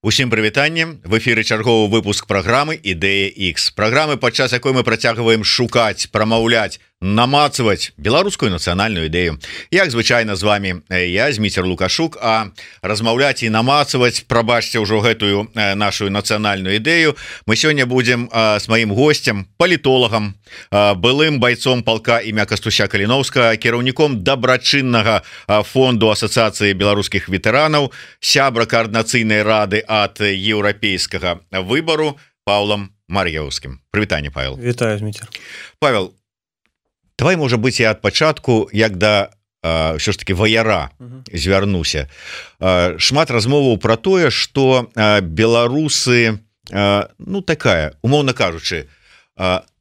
Усім прывітанне, в эфіры чарговы выпуск праграмы Ідэя X. Праграмы, падчас якой мы працягваем шукаць, прамаўляць, намацаваць беларускую нацыянальную ідэю. Як звычайна з вами я, Зміцер Лукашук, а размаўляць і намацаваць, прабачце ўжо гэтую нашу нацыянальную ідэю, мы сёння будзем з маім госцем, палітолагам, былым байцом палка імя Кастуся Каліноўскага, кіраўніком дабрачыннага фонду Асацыяцыі беларускіх ветэранаў, сябра каардынацыйнай рады ад еўрапейскага выбару Паўлам Мар'яўскім. Прывітанне, Павел. Вітаю, Зміцер. Павел, давай, можа быць, я ад пачатку, як да ўсё ж таки ваяра звярнуся. Шмат размоваў пра тое, што беларусы, ну такая, умоўна кажучы,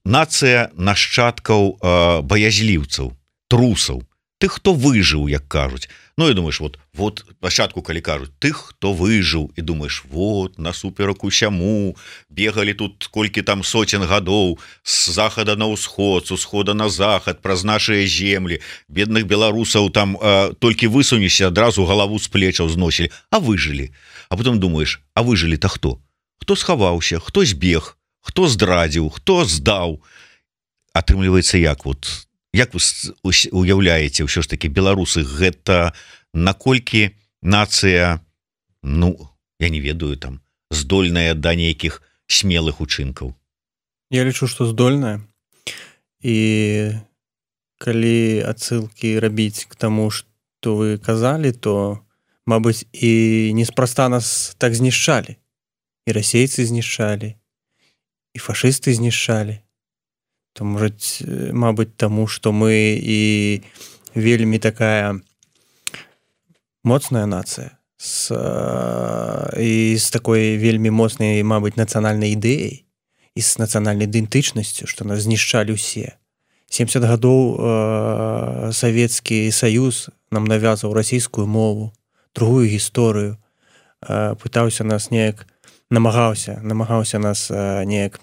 нацыя нашчадкаў баязліўцаў, трусаў, тых, хто выжыў, як кажуць. Ну, і думаеш, вот пачатку, калі кажуць, тых, хто выжыў, і думаеш, вот, насуперак усяму, бегалі тут колькі там соцен гадоў, з захада на ўсход, з усхода на захад, праз нашыя землі, бедных беларусаў там толькі высунешся, адразу галаву з плечаў зносілі, а выжылі. А потым думаеш, а выжылі-то хто? Хто схаваўся, хто збег, хто здрадзіў, хто здаў? Атрымліваецца, як вы уяўляеце ўсё ж таки беларусы, гэта наколькі нацыя, ну, я не ведаю, там, здольная да нейкіх смелых учынкаў? Я лічу, што здольная. І калі адсылкі рабіць к таму, што вы казалі, то, мабыць, і неспроста нас так знішчалі. І расейцы знішчалі, і фашысты знішчалі. То, мабыць, таму, што мы і вельмі такая моцная нацыя і з такой вельмі моцнай, мабыць, нацыянальнай ідэяй і з нацыянальнай ідэнтычнасцю, што нас знішчалі ўсе. 70 гадоў Савецкі Саюз нам навязваў расійскую мову, другую гісторыю, пытаўся нас неяк, намагаўся нас неяк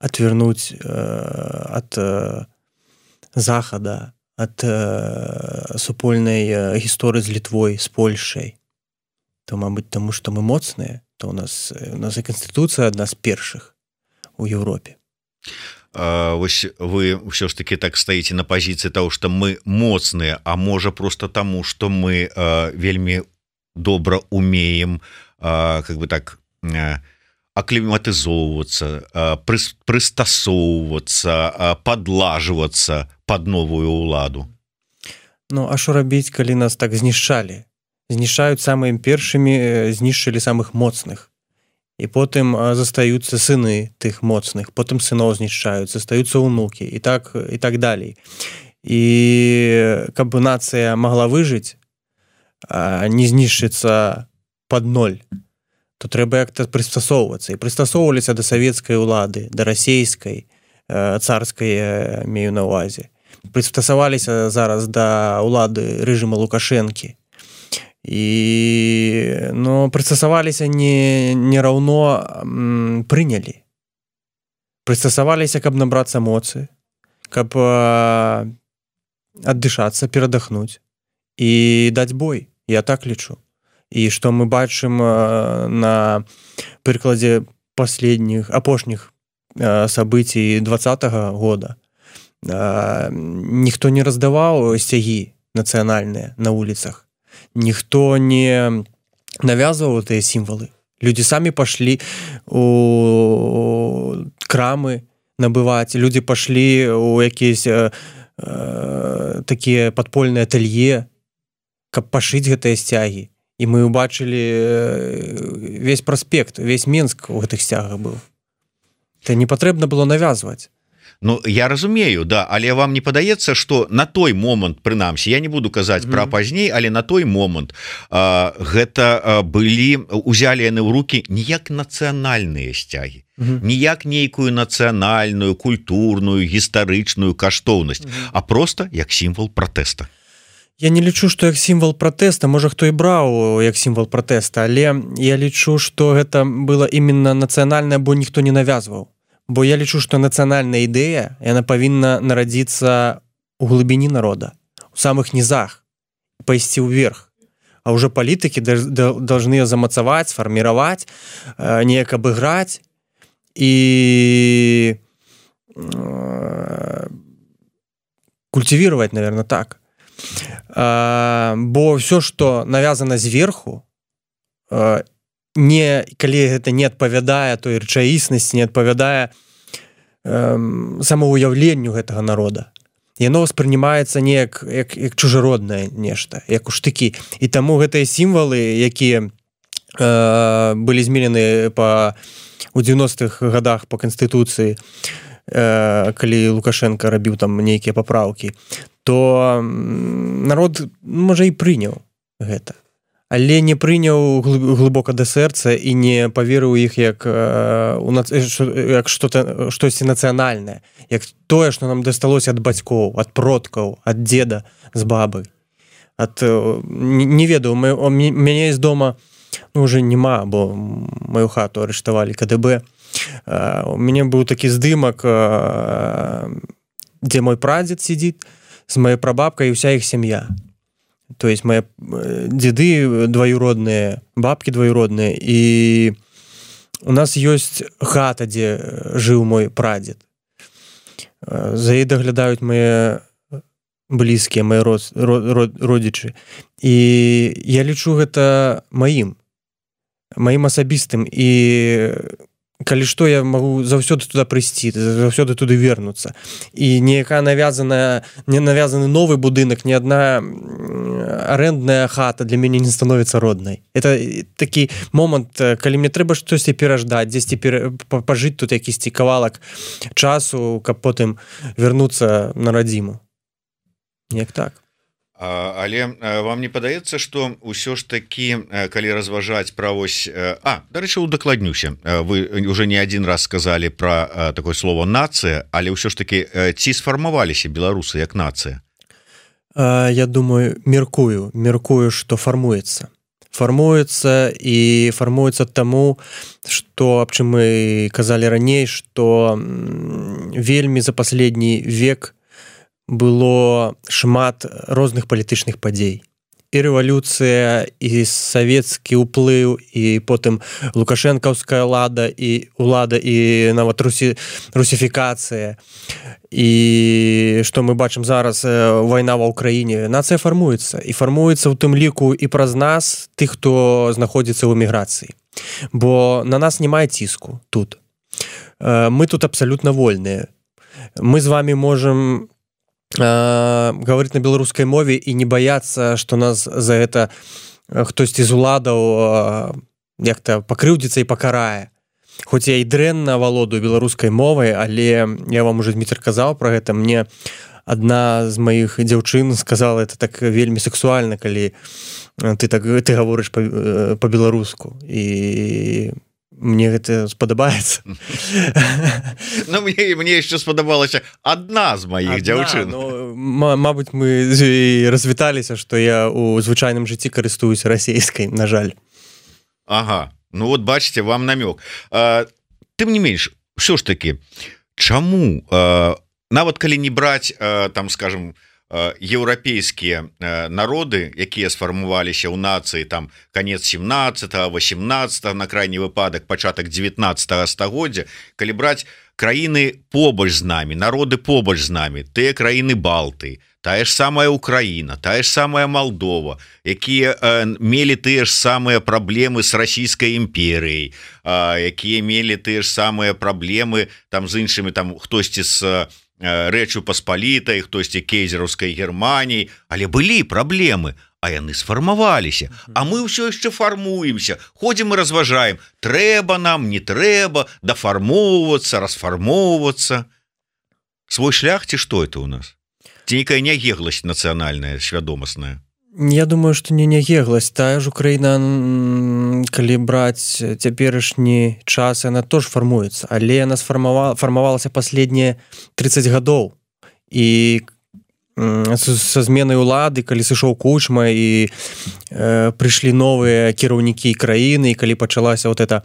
отвернуть от Захада, от супольнай гісторыі з Літвой, з Польшай. То, мабыць, таму, што мы моцныя, то у нас і Канстытуцыя адна з першых у Еўропе. Вось вы ўсё ж таки так стаіце на пазіцыі таго, што мы моцныя, а можа проста таму, што мы вельмі добра умеем, как бы так, акліматызоўвацца, прыстасоўвацца, падлажвацца пад новую ўладу. Ну, а што рабіць, калі нас так знішчалі? Знішчаюць самымі першымі, знішчылі самых моцных. І потым застаюцца сыны тых моцных, потым сыноў знішчаюць, застаюцца ўнукі, і так далей. І каб нацыя магла выжыць, не знішчыцца пад ноль, то трэба як-то прыстасоўвацца. І прыстасоўваліся да савецкай улады, да расейскай, царскай, мею на ўвазе. Прыстасаваліся зараз да улады рэжыма Лукашэнкі. І, прыстасаваліся не раўно прынялі. Прыстасаваліся, каб набрацца моцы, каб аддышацца, перадахнуць і даць бой. Я так лічу. І што мы бачым на прыкладзе апошніх сабыцій 20-го года. Ніхто не раздаваў сцягі нацыянальныя на вуліцах. Ніхто не навязваў тыя сімвалы. Людзі самі пашлі у крамы набываць, людзі пашлі ў якісь такія падпольныя атэлье, каб пашыць гэтыя сцягі. І мы ўбачылі весь праспект, весь Менск у гэтых сцягах быў. Это не патрэбна было навязваць. Ну, я разумею, да, але вам не падаецца, што на той момант, прынамсі, я не буду казаць пра пазней, але на той момант гэта узялі яны ў рукі не як нацыянальныя сцягі, не як нейкую нацыянальную, культурную, гістарычную каштоўнасць, а проста як сімвал пратэста. Я не лічу, што як сімвал пратэста, можа, хто і браў як сімвал пратэста, але я лічу, што гэта было іменно нацыянальнае, бо ніхто не навязваў. Бо я лічу, што нацыянальная ідэя, яна павінна нарадзіцца ў глыбіні народа, у самых нізах, пайсці ўверх, а уже палітыкі должны ее замацаваць, сфарміраваць, неяк абыграць і культивировать, наверное, так. Бо все, что навязано зверху, калі гэта не адпавядае той рэчаіснасці, не адпавядае самаўяўленню гэтага народа, яно ўспрымаецца неяк як чужароднае нешта, як у штыкі. І таму гэтыя сімвалы, якія былі зменены у 90-х годах по Канстытуцыі, калі Лукашенко рабіў там нейкія папраўкі, то народ, можа, і прыняў гэта, але не прыняў глыбока да сэрца і не паверыў іх як штосьці нацыянальнае, як тое, што нам дасталося ад бацькоў, ад продкаў, ад дзеда з бабы. Не ведаю, мяне з дома уже няма, бо маю хату арыштавалі КДБ. У мяне быў такі здымак, дзе мой прадзед сидзіць з маёй прабабкай і ўся іх сям'я. То есть мои деды двоюродные, бабки двоюродные, и у нас есть хата, где жил мой прадед. За ей доглядают мои близкие, мои родичи. И я лічу гэта маім асабістым. И калі што, я могу заўсёды туда прыйсці, заўсёды туды вернуцца. І не навязаны новы будынак, ні адна арэндная хата для мяне не становіцца роднай. Это такі момант, калі мне трэба штосьці пераждаць, дзесьці пажыць тут якісьці кавалак часу, каб потым вернуцца на радзіму. Неяк так. Але вам не падаецца, што ўсё ж такі, калі разважаць пра вось... дарэчы, удакладнюся. Вы уже не адзін раз сказалі пра такое слово «нацыя», але ўсё ж такі ці сфармаваліся беларусы як нацыя? Я думаю, меркую, што фармуецца. Фармуецца і фармуецца таму, што, аб чым мы казалі раней, што вельмі за паследні век было шмат розных палітычных падзей. І рэвалюцыя, і савецкі ўплыў, і потым лукашэнкаўская ўлада, і нават русіфікацыя. І што мы бачым зараз, вайна ва ўкраіне. Нацыя фармуецца. І фармуецца ў тым ліку і праз нас, тых, хто знаходзіцца ў эміграцыі. Бо на нас немає ціску тут. Мы тут абсалютна вольныя. Мы з вами можам говорить на беларускай мове і не баяцца, што нас за гэта хтосьці з уладаў як-то пакрыўдзіцца і пакарае. Хоць я і дрэнна валодаю беларускай мовай, але я вам уже, Дмітрий, казаў пра гэта. Мне адна з маіх дзяўчын сказала, это так вельмі сексуальна, калі ты гаворыш па-беларуску. І мне гэта спадабаецца. Ну, мне яшчэ спадабалася адна з маіх дзяўчын. Мабыць, мы развіталіся, што я ў звычайным жыцці карыстуюся расейскай, на жаль. Ага, ну вот бачыце, вам намёк. Тым не менш, ўсё ж такі, чаму, нават калі не браць, там, скажем, еўрапейскія народы, якія сфармаваліся ў нацыі там канец 17-18, на крайні выпадак пачатак 19 стагоддзя, калі браць краіны побач з намі, народы побач з намі, тыя краіны Балты, тая ж самая Украіна, тая ж самая Малдова, якія мелі тыя ж самыя праблемы з расійскай імперыяй, якія мелі тыя ж самыя праблемы там з іншымі, там хтосьці з Рэчу Паспалітай, хтосьці кейзераўскай Германіі, але былі праблемы, а яны сфармаваліся. А мы ўсё яшчэ фармуемся, ходзім і разважаем, трэба нам, не трэба, дафармоўвацца, расфармоўвацца. Свой шлях ці што это ў нас? Ці нейкая нягегласць нацыянальная, свядомасная? Я думаю, што не нягегласць. Тая ж Украіна, калі браць цяперашні час, яна тоже фармуецца, але яна фармавалася паследнія 30 гадоў. І са зменай улады, калі сышоў Кучма і прыйшлі новыя кіраўнікі краіны, і калі пачалася вот это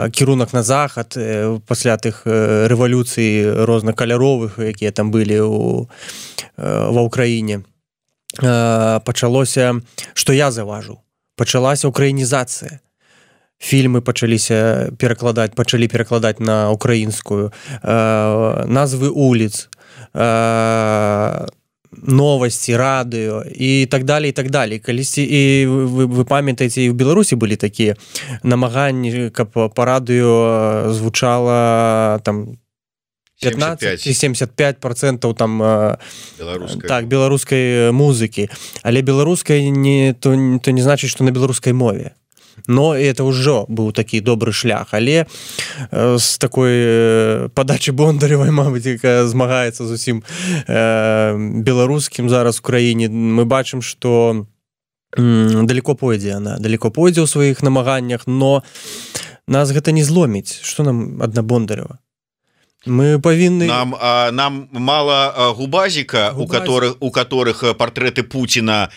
кірунак на захад пасля тых рэвалюцый рознакаляровых, якія там былі ва ўкраіне, пачалося, што я заўважыў, пачалася украінізацыя. Фільмы пачалі перакладаць на украінскую, назвы вуліц, новасці, радыё і так далее, і так далее. Калісьці, і вы памятаеце, і ў Беларусі былі такія намаганні, каб па радыё звучала там 15-75% там беларускай музыкі. Але беларускай то не значыць, што на беларускай мове. Но это ўжо быў такі добры шлях, але з такой падачы Бондаревай, мабыць, якая змагаецца з усім беларускім зараз у краіне, мы бачым, што далеко пойдзе ў сваіх намаганнях, но нас гэта не зломіць. Што нам адна Бондарева? Мы павінны... Нам мала губазіка, у которых партрэты Пуціна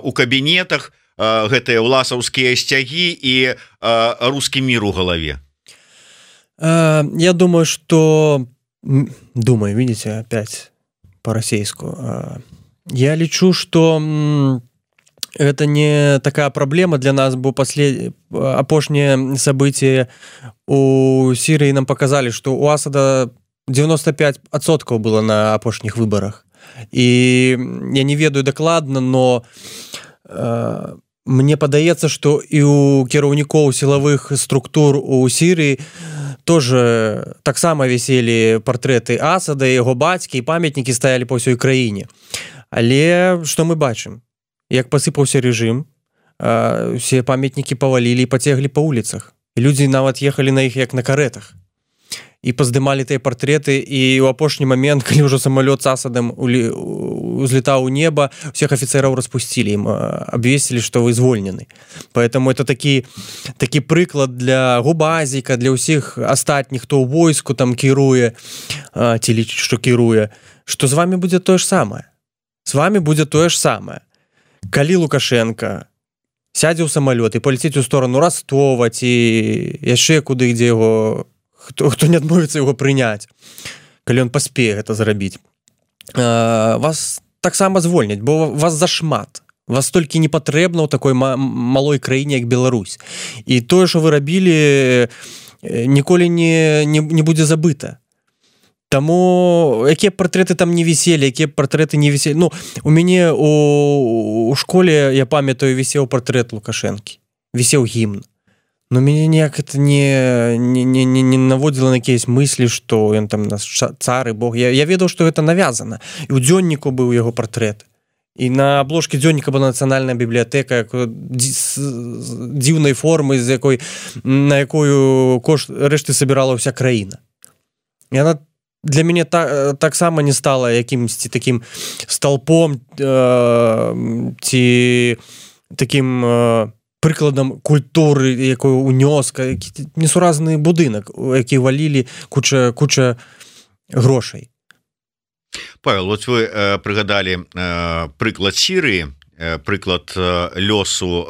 у кабінетах, гэтыя ўласаўскія сцягі і рускі мір у галаве. Я думаю, что... Думаю, видите, опять по-российску. Я лічу, что это не такая проблема для нас, бо апошние события у Сирии нам показали, что у Асада 95% было на апошніх выборах. И я не ведаю докладно, но... Мне падаецца, што і у кіраўнікоў сілавых структур у Сірыі тоже таксама віселі партрэты Асада, яго бацькі, і памятнікі стаялі па ўсёй краіне. Але што мы бачым? Як пасыпаўся рэжым, усе памятнікі павалілі і пацеглі па вуліцах. Людзі нават ехалі на іх як на карэтах. І паздымалі тыя партрэты, і ў апошні момент, калі ўжо самалёт з Асадам узлетаў у неба, всех афіцэраў распусцілі, ім абвесілі, што вы звольнены. Поэтому это такі прыклад для губазіка, для ўсіх астатніх, хто ў войску там кіруе, ці лічыць, што кіруе, што з вами будзе тое ж самае. З вами будзе тое ж самае. Калі Лукашенко сядзе ў самалёт і паляціць у сторону Ростова ці яшчэ куды, дзе яго хто не адмовіцца яго прыняць, калі ён паспее гэта зрабіць, вас таксама звольняць, бо вас зашмат, вас толькі не патрэбна ў такой малой краіне, як Беларусь. І тое, што вы рабілі, ніколі не будзе забыта. Таму якія партрэты там не віселі, якія партрэты не віселі. Ну, у мяне у школе, я памятаю, вісеў партрэт Лукашэнкі, вісеў гімн. Но мяне ніяк это не наводзіла на якісь мыслі, што ён там нас цар і бог. Я ведаў, што гэта навязана. І ў дзённіку быў яго партрэт. І на абложкі дзённіка была нацыянальная бібліятэка дзіўнай формы, на якую кошт рэшты сабірала ўся краіна. І яна для мяне таксама не стала якімсьці такім столпом ці такім... прыкладам культуры, якой унёска, несуразны будынак, які валілі куча грошай. Павел, вот вы прыгадалі прыклад Сірыі, прыклад лёсу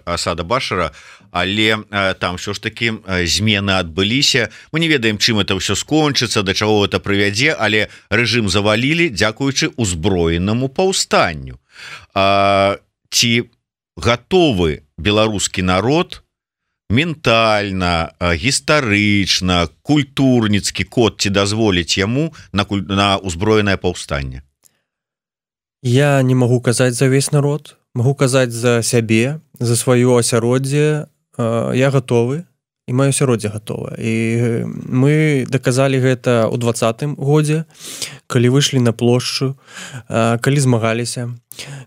Асада Башара, але там ўсё ж такі змены адбыліся. Мы не ведаем, чым это ўсё скончыцца, да чаго гэта прывядзе, але рэжым завалілі дзякуючы узброенаму паўстанню. Ці гатовы беларускі народ ментальна, гістарычна, культурніцкі код ці дазволіць яму на узброенае паўстанне? Я не магу казаць за весь народ, магу казаць за сябе, за сваё асяроддзе. Я гатовы, і маё асяроддзе гатова. І мы даказалі гэта ў 2020 годзе, калі выйшлі на плошчу, калі змагаліся,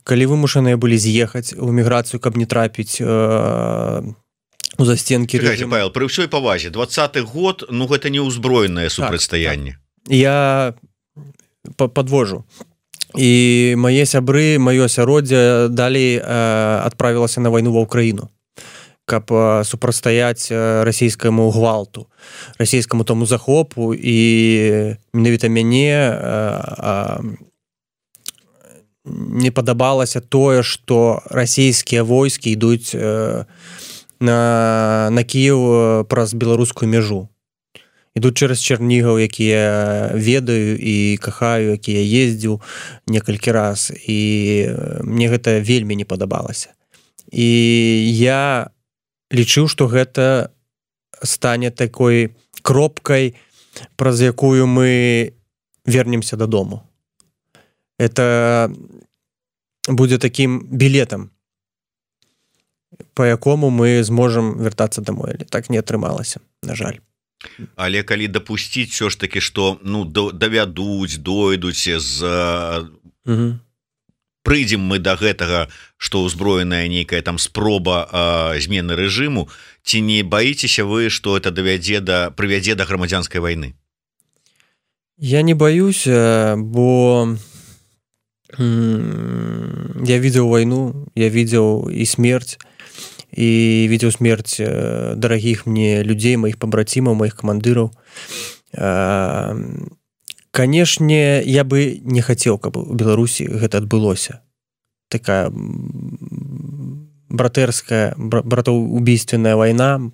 калі вымушаныя былі з'ехаць у эміграцыю, каб не трапіць у застенкі рэжыму. Павел, пры ўсёй павазе, 20-й год, ну гэта не ўзброенае супрацьстаянне. Я падвожу. І мае сябры, маё асяроддзе далей адправілася на вайну ва Ўкраіну, каб супрацьстаяць расійскаму гвалту, расійскаму тому захопу, і менавіта мяне не падабалася тое, што расійскія войскі ідуць на Кіеў праз беларускую мяжу. ідуць через Чернігаў, які я ведаю і кахаю, які я ездзіў некалькі раз, і мне гэта вельмі не падабалася. І я лічыў, што гэта стане такой кропкай, праз якую мы вернемся дадому. Это будзе таким білетам, по якому мы зможам вяртацца домой. Але так не атрымалася, на жаль. Але калі дапусціць все ж таки, што давядуць, дойдуць прыйдзем мы да гэтага, што ўзброеная нейкая там спроба змены рэжыму, ці не баіцеся вы, што это прывядзе да грамадзянскай вайны? Я не боюсь, бо я видел войну, я видел и смерть дорогих мне людей, моих побратимов, моих командиров. Конечно, я бы не хотел, каб у Беларусі гэта адбылося. Такая братоубийственная война.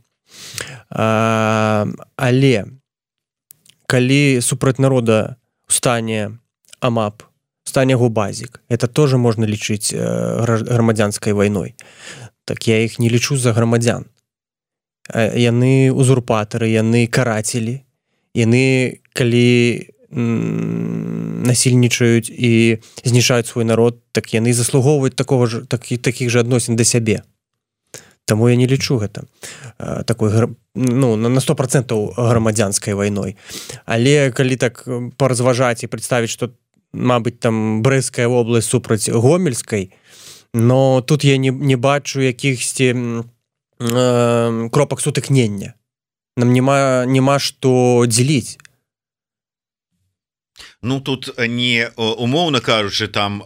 Але калі супраць народа стане АМАП, стане губазік, это тоже можна лічыць грамадзянскай вайной. Так я іх не лічу за грамадзян. Яны узурпатары, яны карацелі, яны, калі насильнічаюць і знішаюць свой народ, так яны заслугоўваюць такіх же адносін да сябе. Таму я не лічу гэта такой, на 100% грамадзянскай вайной. Але калі так паразважаць і прадставіць, што, мабыць, там Брэсцкая вобласць супраць Гомельскай, но тут я не бачу якіхсьці кропак сутыкнення. Нам няма што дзеліць. Тут не умоўна кажучы, там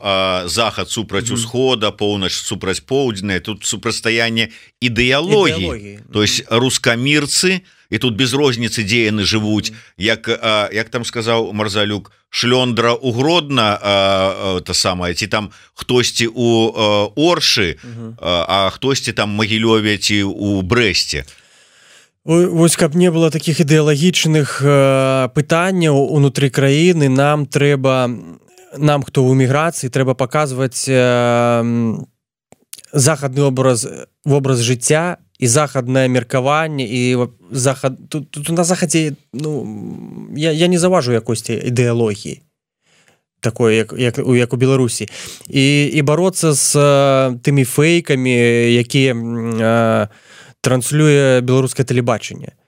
захад супраць усхода, поўнач супраць поўдзьная, тут супрацьстаянне ідэалогіі. То есть рускамірцы, і тут без розніцы, дзе яны жывуць, як там сказаў Марзалюк, шлёндра у Гродна, ці там хтосьці у Оршы, а хтосьці там Магілёве ці у Брэсце. Вось, каб не было такіх ідэалагічных пытанняў унутры краіны, нам, хто ў эміграцыі, трэба паказваць захадны вобраз жыцця і захаднае меркаванне, і тут на захадзе, я не заўважу якосці ідэалогіі такой, як у Беларусі. І бароцца з тымі фейкамі, якія транслюе беларускае тэлебачанне.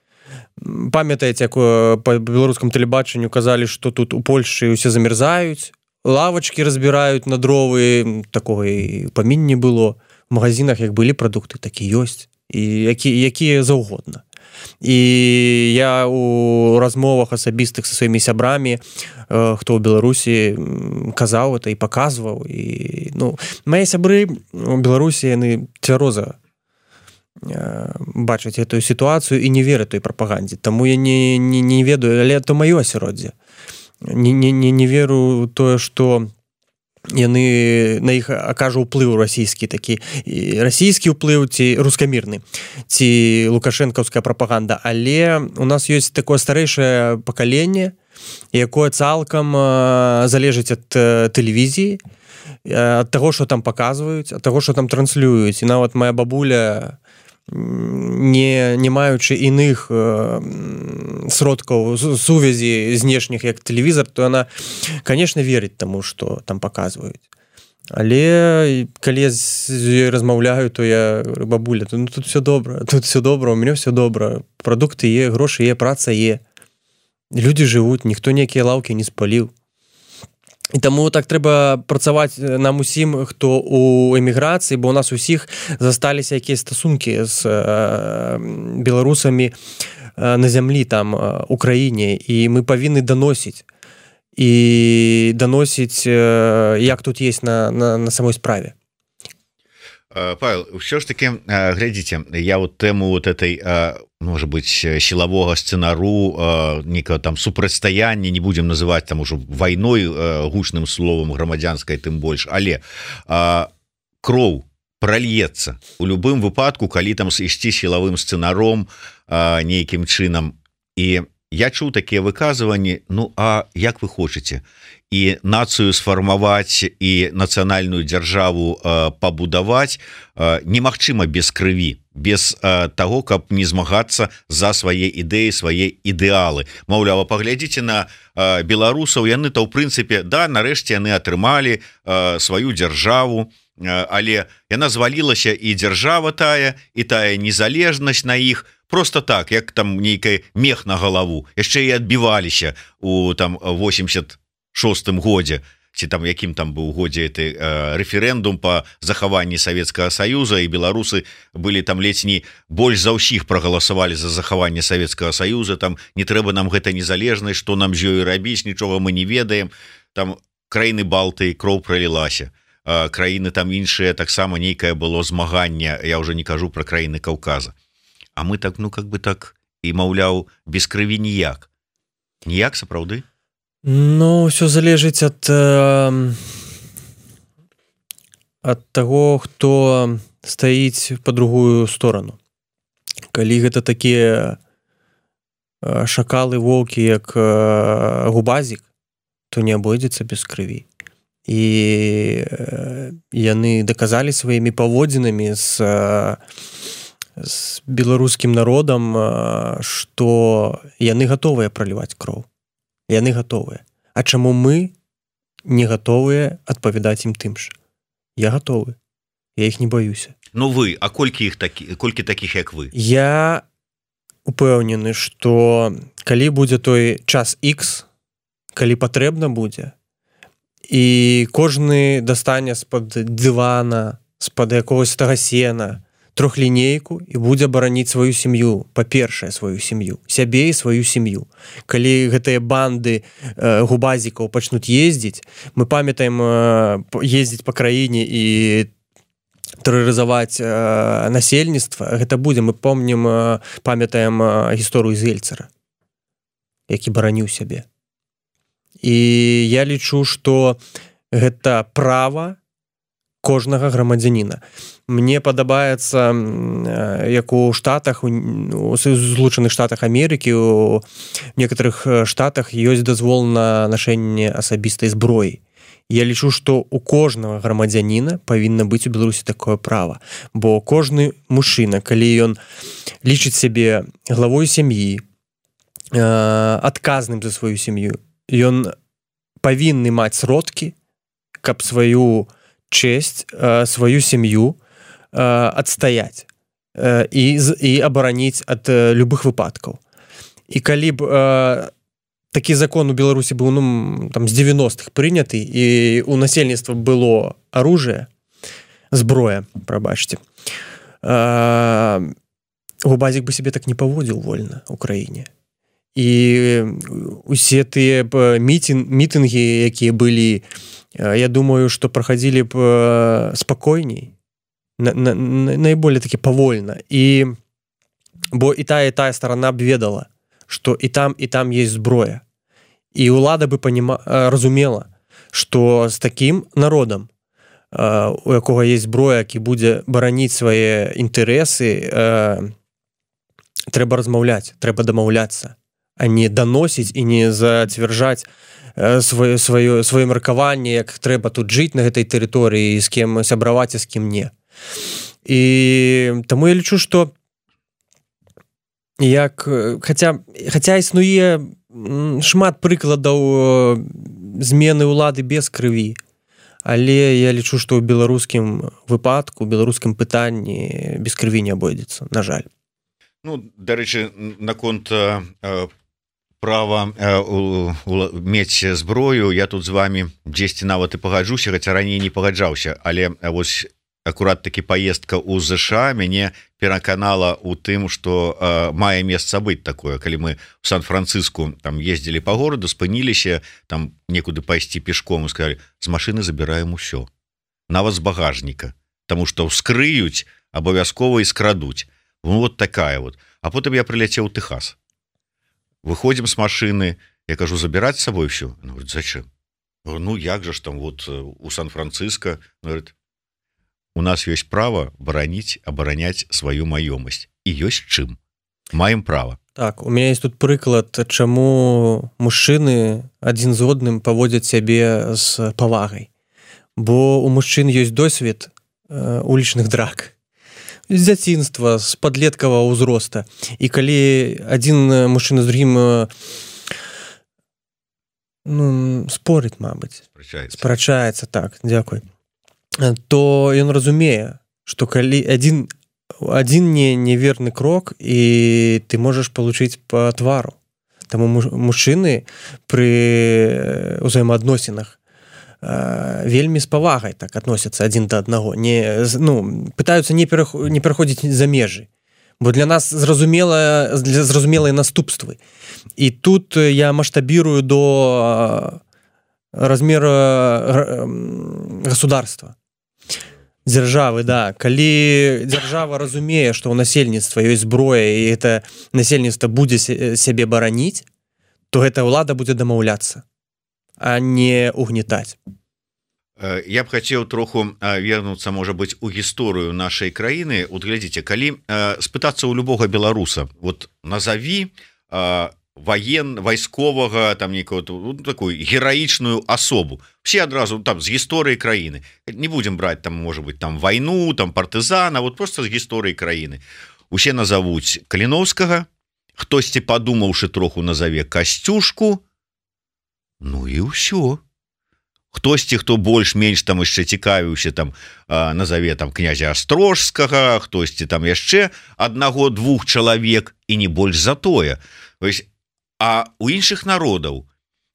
Памятаеце, як па беларускам тэлебачанню казалі, што тут у Польшчы ўсе замерзаюць, лавачкі разбіраюць на дровы, такога і памін не было. В магазинах як былі прадукты, так і ёсць, і якія заўгодна. І я у размовах асабістых са сваімі сябрамі, хто ў Беларусі, казаў это і паказваў. Мае сябры у Беларусі, яны цвяроза бачаць эту сітуацыю і не вераць той прапагандзе. Таму я не ведаю, але это маё асяроддзе. Не веру тое, што яны на іх акажа ўплыў расійскі такі, расійскі ўплыў ці рускамірны, ці лукашэнкаўская прапаганда. Але у нас ёсць такое старэйшае пакаленне, якое цалкам залежыць ад тэлевізіі, ад таго, што там паказваюць, ад таго, што там транслююць. І нават моя бабуля, не маючы іных сродкаў сувязі знешніх, як тэлевізор, то яна, конечно, верыць таму, што там паказваюць. Але калі я з ёй размаўляю, то я говорю: бабуля, тут все добра, у мяне все добра, прадукты є, грошы є, праца є, людзі жывуць, ніхто ніякія лаўкі не спаліў. І таму так трэба працаваць нам усім, хто у эміграцыі, бо у нас усіх засталіся якія стасункі з беларусамі на зямлі, там, у краіне, і мы павінны даносіць, як тут есть на самой справе. Павел, все ж таки, глядзіце, я вот тэму вот этой, может быть, сілавога сцэнару, некага там супрацьстаяння, не будем называть там ужо вайной, гучным словом, грамадзянскай тым больш, але кроў прольецца у любым выпадку, калі там ісці сілавым сцэнаром нейкім чынам, і я чуў такія выказванні. Ну а як вы хочаце і нацыю сфармаваць і нацыянальную дзяржаву пабудаваць немагчыма без крыві, без таго, каб не змагацца за свае ідэі, свае ідэалы. Маўлява, паглядзіце на беларусаў, яны-то ў прынцыпе, да, нарэшце яны атрымалі сваю дзяржаву, але яна звалілася, і дзяржава тая, і тая незалежнасць на іх просто так, як там нейкай мех на галаву, яшчэ і адбіваліся у там 86-м годзе, ці там якім там быў годзе рэферэндум па захаванні Савецкага Саюза, і беларусы былі там ледзь не больш за ўсіх прагаласавалі за захаванне Савецкага Саюза, там не трэба нам гэта незалежнасць, што нам з ёю рабіць, нічога мы не ведаем, там краіны Балтыі кроў пралілася, краіны там іншыя таксама нейкае было змаганне, я ўжо не кажу пра краіны Каўказа. А мы так, ну как бы так, і маўляў, без крыві ніяк. Ніяк, сапраўды? Ну, ўсё залежыць ад таго, хто стаіць па другую сторону. Калі гэта такія шакалы, воўкі, як Губазік, то не абойдзецца без крыві. І яны даказалі сваімі паводзінамі з беларускім народам, што яны гатовыя праліваць кроў. Яны гатовыя. А чаму мы не гатовыя адпавядаць ім тым ж? Я гатовы. Я іх не баюся. Ну вы, а колькі такіх, як вы? Я упэўнены, што калі будзе той час X, калі патрэбна будзе, і кожны дастане з-пад дывана, з-пад якогось тага сена трохлінейку і будзе бараніць сваю сям'ю, па-першае, сваю сям'ю, сябе і сваю сям'ю. Калі гэтыя банды губазікаў пачнуць ездзіць, мы памятаем ездзіць па краіне і тэрарызаваць насельніцтва, гэта будзе, мы памятаем гісторыю Зельцара, які бараніў сябе. І я лічу, што гэта права кожнага грамадзяніна. Мне падабаецца, як у Штатах, у Злучаных Штатах Амерыкі, у некаторых штатах ёсць дазвол на нашэнне асабістай зброі. Я лічу, што у кожнага грамадзяніна павінна быць у Беларусі такое права. Бо кожны мужчына, калі ён лічыць сябе главой сям'і, адказным за сваю сям'ю, ён павінны маць сродкі, каб сваю честь, сваю сям'ю адстаяць і абараніць ад любых выпадкаў. І калі б такі закон у Беларусі быў там з 90-х прыняты, і у насельніцтва было оружие, зброя, прабачце, Губазік бы себе так не паводзіў вольна ў краіне. І усе тыя мітынгі, якія былі, я думаю, што праходзілі б спакойней, найболее такі павольна. Бо і тая старана б ведала, што і там есть зброя. І ўлада бы разумела, што з такім народам, у якога есть зброя, які будзе бараніць свае інтарэсы, трэба размаўляць, трэба дамаўляцца, а не даносіць і не зацвярджаць сваё меркаванне, як трэба тут жыць на гэтай тэрыторыі, з кем сябраваць, а з кім не. І таму я лічу, што хаця існуе шмат прыкладаў змены ўлады без крыві, але я лічу, што ў беларускім выпадку, ў беларускім пытанні без крыві не абойдзецца, на жаль. Ну, дарэчы, наконт права мець зброю, я тут з вами дзесьці нават і пагаджуся, хаця раней не пагаджаўся, але вось акурат такі паездка ў ЗША мяне пераканала ў тым, што мае месца быць такое. Калі мы в Сан-Франциску там ездзілі па гораду, спыніліся там некуды пайсці пешком і сказалі, з машыны забіраем усё, нават з багажніка, таму што ўскрыюць, абавязкова і скрадуць. Вот такая вот. А потым я прыляцеў у Тэхас. Выходзім з машыны, я кажу, забіраць з сабой ўсё? Говорит, зачем? Ну, як же ж там вот у Сан-Франциско? Говорит, у нас ёсць права бараніць, абараняць сваю маёмасць. І ёсць чым. Маем права. Так, у меня есть тут прыклад, чаму мужчыны адзін з одным паводзяць сябе з павагай. Бо у мужчын ёсць досвед улічных драк. З дзяцінства, з падлеткавага ўзроста. І калі адзін мужчына з другім спорыць, мабыць, спрачаецца, так, дзякуй, то ён разумее, што калі адзін неверны крок, і ты можаш получыць па твару. Таму мужчыны пры ўзаемаадносінах вельмі з павагай так адносяцца адзін да аднаго, пытаюцца не пераходзіць за межы, бо для нас зразумелыя наступствы. І тут я маштабірую до размера государства, дзяржавы, да. Калі дзяржава разумее, што ў насельніцтва ёсць зброя, і гэта насельніцтва будзе сябе бараніць, то гэта ўлада будзе дамаўляцца, а не угнетаць. Я б хацеў троху вернуцца, можа быць, у гісторыю нашай краіны. Вот глядзіце, калі спытацца ў любога беларуса, вот назаві вайсковага, там некую такую гераічную асобу, все адразу там з гісторыі краіны, не будем браць там, можа быть, там вайну, там партызана, вот просто з гісторыі краіны. Усе назовуць Каліноўскага, хтосьці падумаўшы троху назаве Касцюшку, ну і ўсё. Хтосьці, хто больш-менш там яшчэ цікавіўся, там назаве там князя Астрожскага, хтосьці там яшчэ аднаго-двух чалавек, і не больш за тое. А у іншых народаў,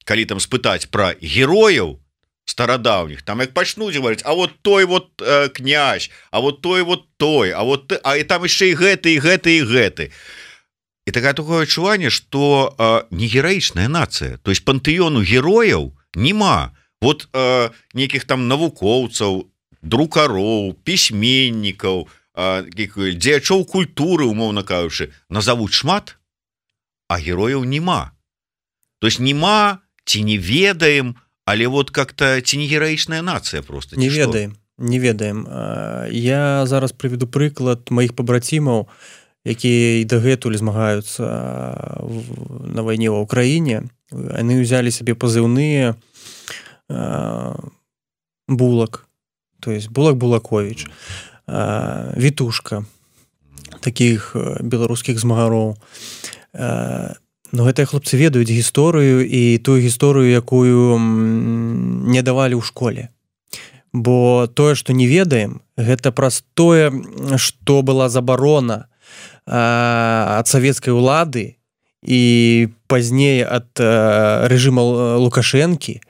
калі там спытаць пра герояў старадаўніх, там як пачнуць говорить, а вот той вот князь, а вот той, а там яшчэ і гэты, і гэты, і гэты. І такое адчуванне, што не гераічная нацыя, то есть пантэёну герояў нема. Вот нейкіх там навукоўцаў, друкароў, пісьменнікаў, дзеячоў культуры, умоўна кажучы, назовуць шмат, а герояў нема. То есть нема, ці не ведаем, але вот как-то ці не гераічная нацыя просто. Не ведаем. Я зараз прыведу прыклад маіх пабрацімаў, якія і дагэтуль змагаюцца на вайне ва ўкраіне. Яны ўзялі сабе пазыўныя Булак, то есть Булак-Булакович, Вітушка, такіх беларускіх змагароў. Но гэтыя хлопцы ведаюць гісторыю, і тую гісторыю, якую не давалі ў школе. Бо тое, што не ведаем, гэта праз тое, што была забарона ад савецкай улады і пазней ад рэжыма Лукашэнкі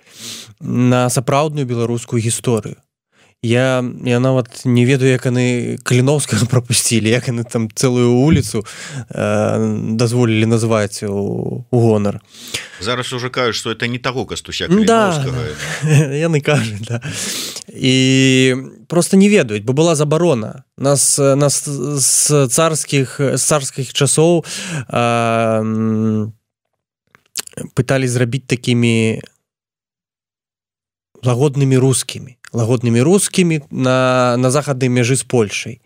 на сапраўдную беларускую гісторыю. Я нават не ведаю, як яны Каліноўскага прапусцілі, як яны там цэлую вуліцу дазволілі назваць у гонар. Зараз уже кажуць, што это не таго Кастуся Каліноўскага. Да, яны кажуць, да. І просто не ведаюць, бо была забарона. Нас з царскіх часоў пыталі зрабіць такімі лагоднымі рускімі на захаднай мяжы з Польшай.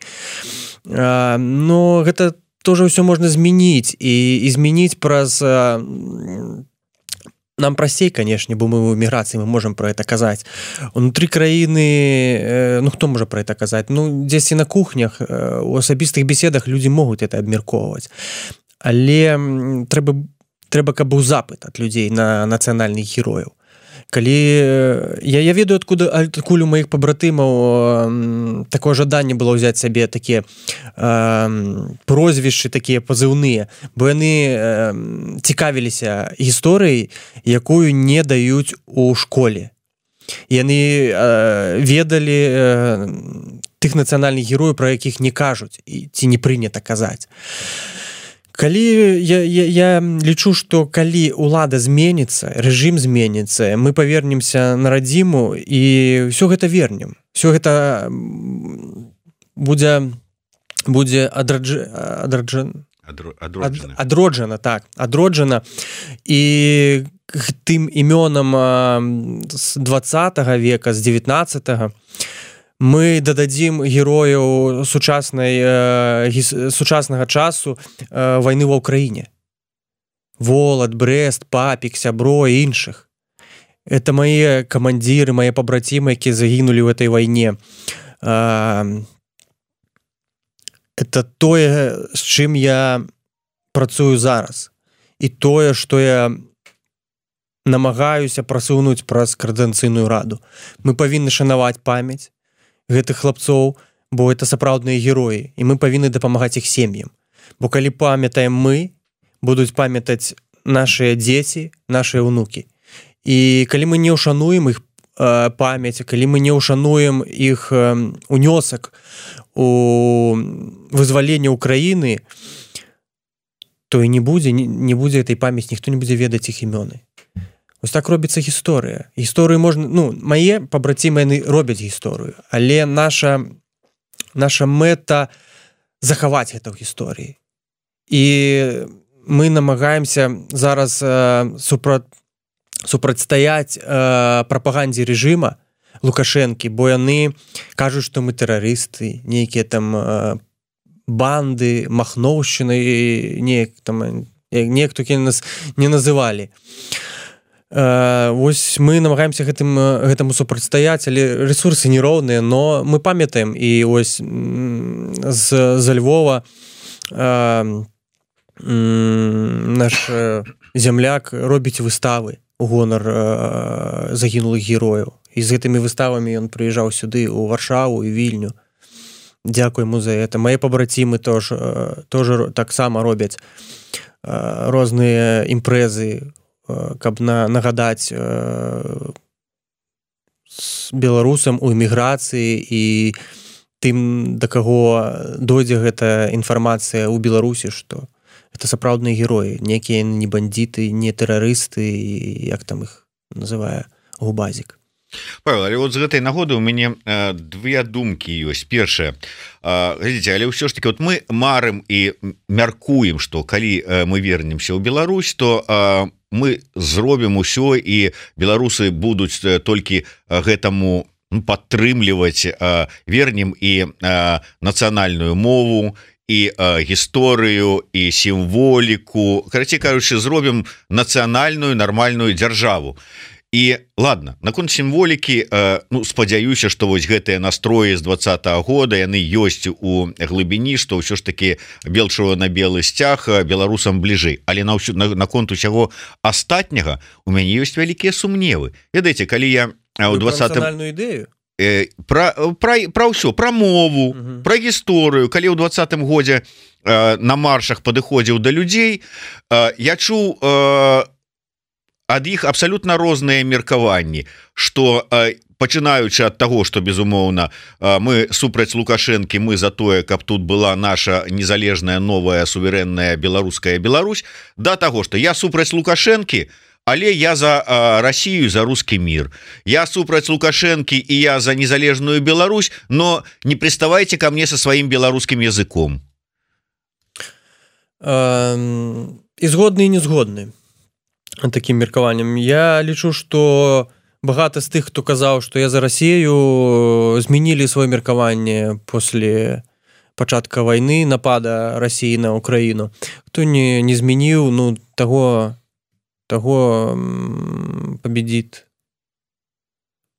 Но гэта тоже ўсё можна змяніць, і змяніць праз... Нам прасцей, канешне, бо мы ў эміграцыі, мы можам пра гэта казаць. Унутры краіны, хто можа пра гэта казаць? Дзесьці на кухнях, у асабістых беседах людзі могуць гэта абмяркоўваць. Але трэба, каб быў запыт ад людзей на нацыянальных герояў. Калі я ведаю, адкуль у маіх пабратымаў такое жаданне было ўзяць сабе такія прозвішчы, такія пазыўныя, бо яны цікавіліся гісторыяй, якую не даюць у школе. Яны ведалі тых нацыянальных герояў, пра якіх не кажуць, ці не прынята казаць. Калі я лічу, што калі ўлада зменіцца, рэжым зменіцца, мы павернемся на радзіму і ўсё гэта вернем. Ўсё гэта будзе адроджана. І тым імёнам з 20 века, з 19-го мы дададзім герояў сучаснага часу вайны ва ўкраіне. Волат, Брест, Папік, Сябро і іншых. Это мае камандзіры, мае пабрацімы, якія загінулі ў этой вайне. Это тое, з чым я працую зараз. І тое, што я намагаюся прасунуць праз Коордынацыйную раду. Мы павінны шанаваць памяць гэтых хлапцоў, бо это сапраўдныя героі, і мы павінны дапамагаць іх сем'ям. Бо калі памятаем мы, будуць памятаць нашыя дзеці, нашыя ўнукі. І калі мы не ўшануем іх памяць, калі мы не ўшануем іх унёсак у вызваленне ўкраіны, то і не будзе этой памяці, ніхто не будзе ведаць іх імёны. Вось так робіцца гісторыя. Гісторыю можна, мае пабрацімы яны робяць гісторыю, але наша мэта захаваць гэта ў гісторыі. І мы намагаемся зараз супрацьстаяць прапагандзе рэжыма Лукашэнкі, бо яны кажуць, што мы тэрарысты, нейкія там банды, махноўшчыны, неяк толькі нас не называлі. Вось мы намагаемся гэтаму супрацьстаяць, але рэсурсы нероўныя, но мы памятаем, і вось з Львова наш земляк робіць выставы у гонар загінулых герояў. І з гэтымі выставамі ён прыязджаў сюды, у Варшаву і Вільню. Дзякуй яму за гэта. Мае пабрацімы тоже таксама робяць розныя імпрэзы, каб нагадаць беларусам у эміграцыі і тым, да каго дойдзе гэта інфармацыя ў Беларусі, што это сапраўдныя героі, некія не бандіты, не тэрарысты, як там іх называе Губазік. Павел, але вот з гэтай нагоды у мяне две думкі ёсць. Першае, глядзіце, але ўсё ж таки вот мы марым і мяркуем, што калі мы вернемся ў Беларусь, то мы зробім усё, і беларусы будуць толькі гэтаму падтрымліваць, вернем і нацыянальную мову, і гісторыю, і сімволіку, карацей кажучы, зробім нацыянальную нармальную дзяржаву. І ладно, наконт сімволікі, спадзяюся, што вось гэтыя настроі з 20-го года, яны ёсць у глыбіні, што ўсё ж таки белчува на белы сцяг беларусам бліжэй. Але наконт усяго астатняга у мяне ёсць вялікія сумневы. Ведаеце, калі я ў 20-м... нацыянальную ідэю? Пра ўсё, пра мову, пра гісторыю. Калі ў 20-м годзе на маршах падыходзіў да людзей, я чуў ад іх абсалютна розныя меркаванні, што пачынаючы ад таго, што, безумоўна, мы супраць Лукашэнкі, мы за тое, каб тут была наша незалежная, новая, суверэнная беларуская Беларусь, да таго, што я супраць Лукашэнкі, але я за Россию, за русский мир. Я супраць Лукашэнкі, и я за незалежную Беларусь, но не приставайте ко мне со своим белорусским языком. И згодны, и не згодны таким меркаваннем. Я лічу, что багато з тых, хто казаў, што я за Россию, змянілі свое меркаванне после пачатка войны, напада России на Украину. Хто не змяніў, того победит,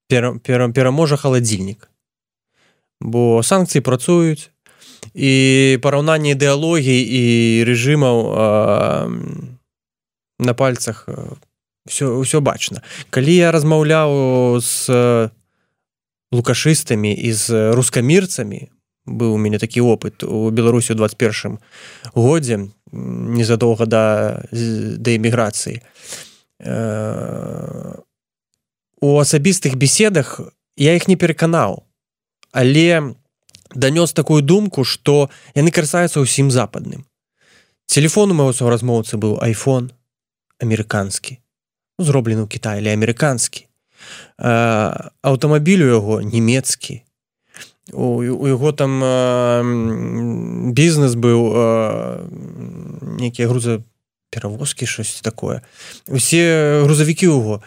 пераможа халадзільнік. Бо санкцыі працуюць, і параўнанне ідэалогій і рэжымаў на пальцах ўсё бачна. Калі я размаўляў з лукашыстамі і з рускамірцамі, быў у мяне такі опыт у Беларусі ў 21 годзе, незадоўга да эміграцыі. У асабістых беседах я іх не пераканаў, але данёс такую думку, што яны карыстаюцца ўсім западным. Телефон у майго суразмоўцы быў iPhone амерыканскі, зроблены ў Кітаі, але амерыканскі. Аўтамабіль у яго нямецкі. У яго там бізнес быў, нейкія грузаперавозкі, щось такое. Усе грузавікі ў яго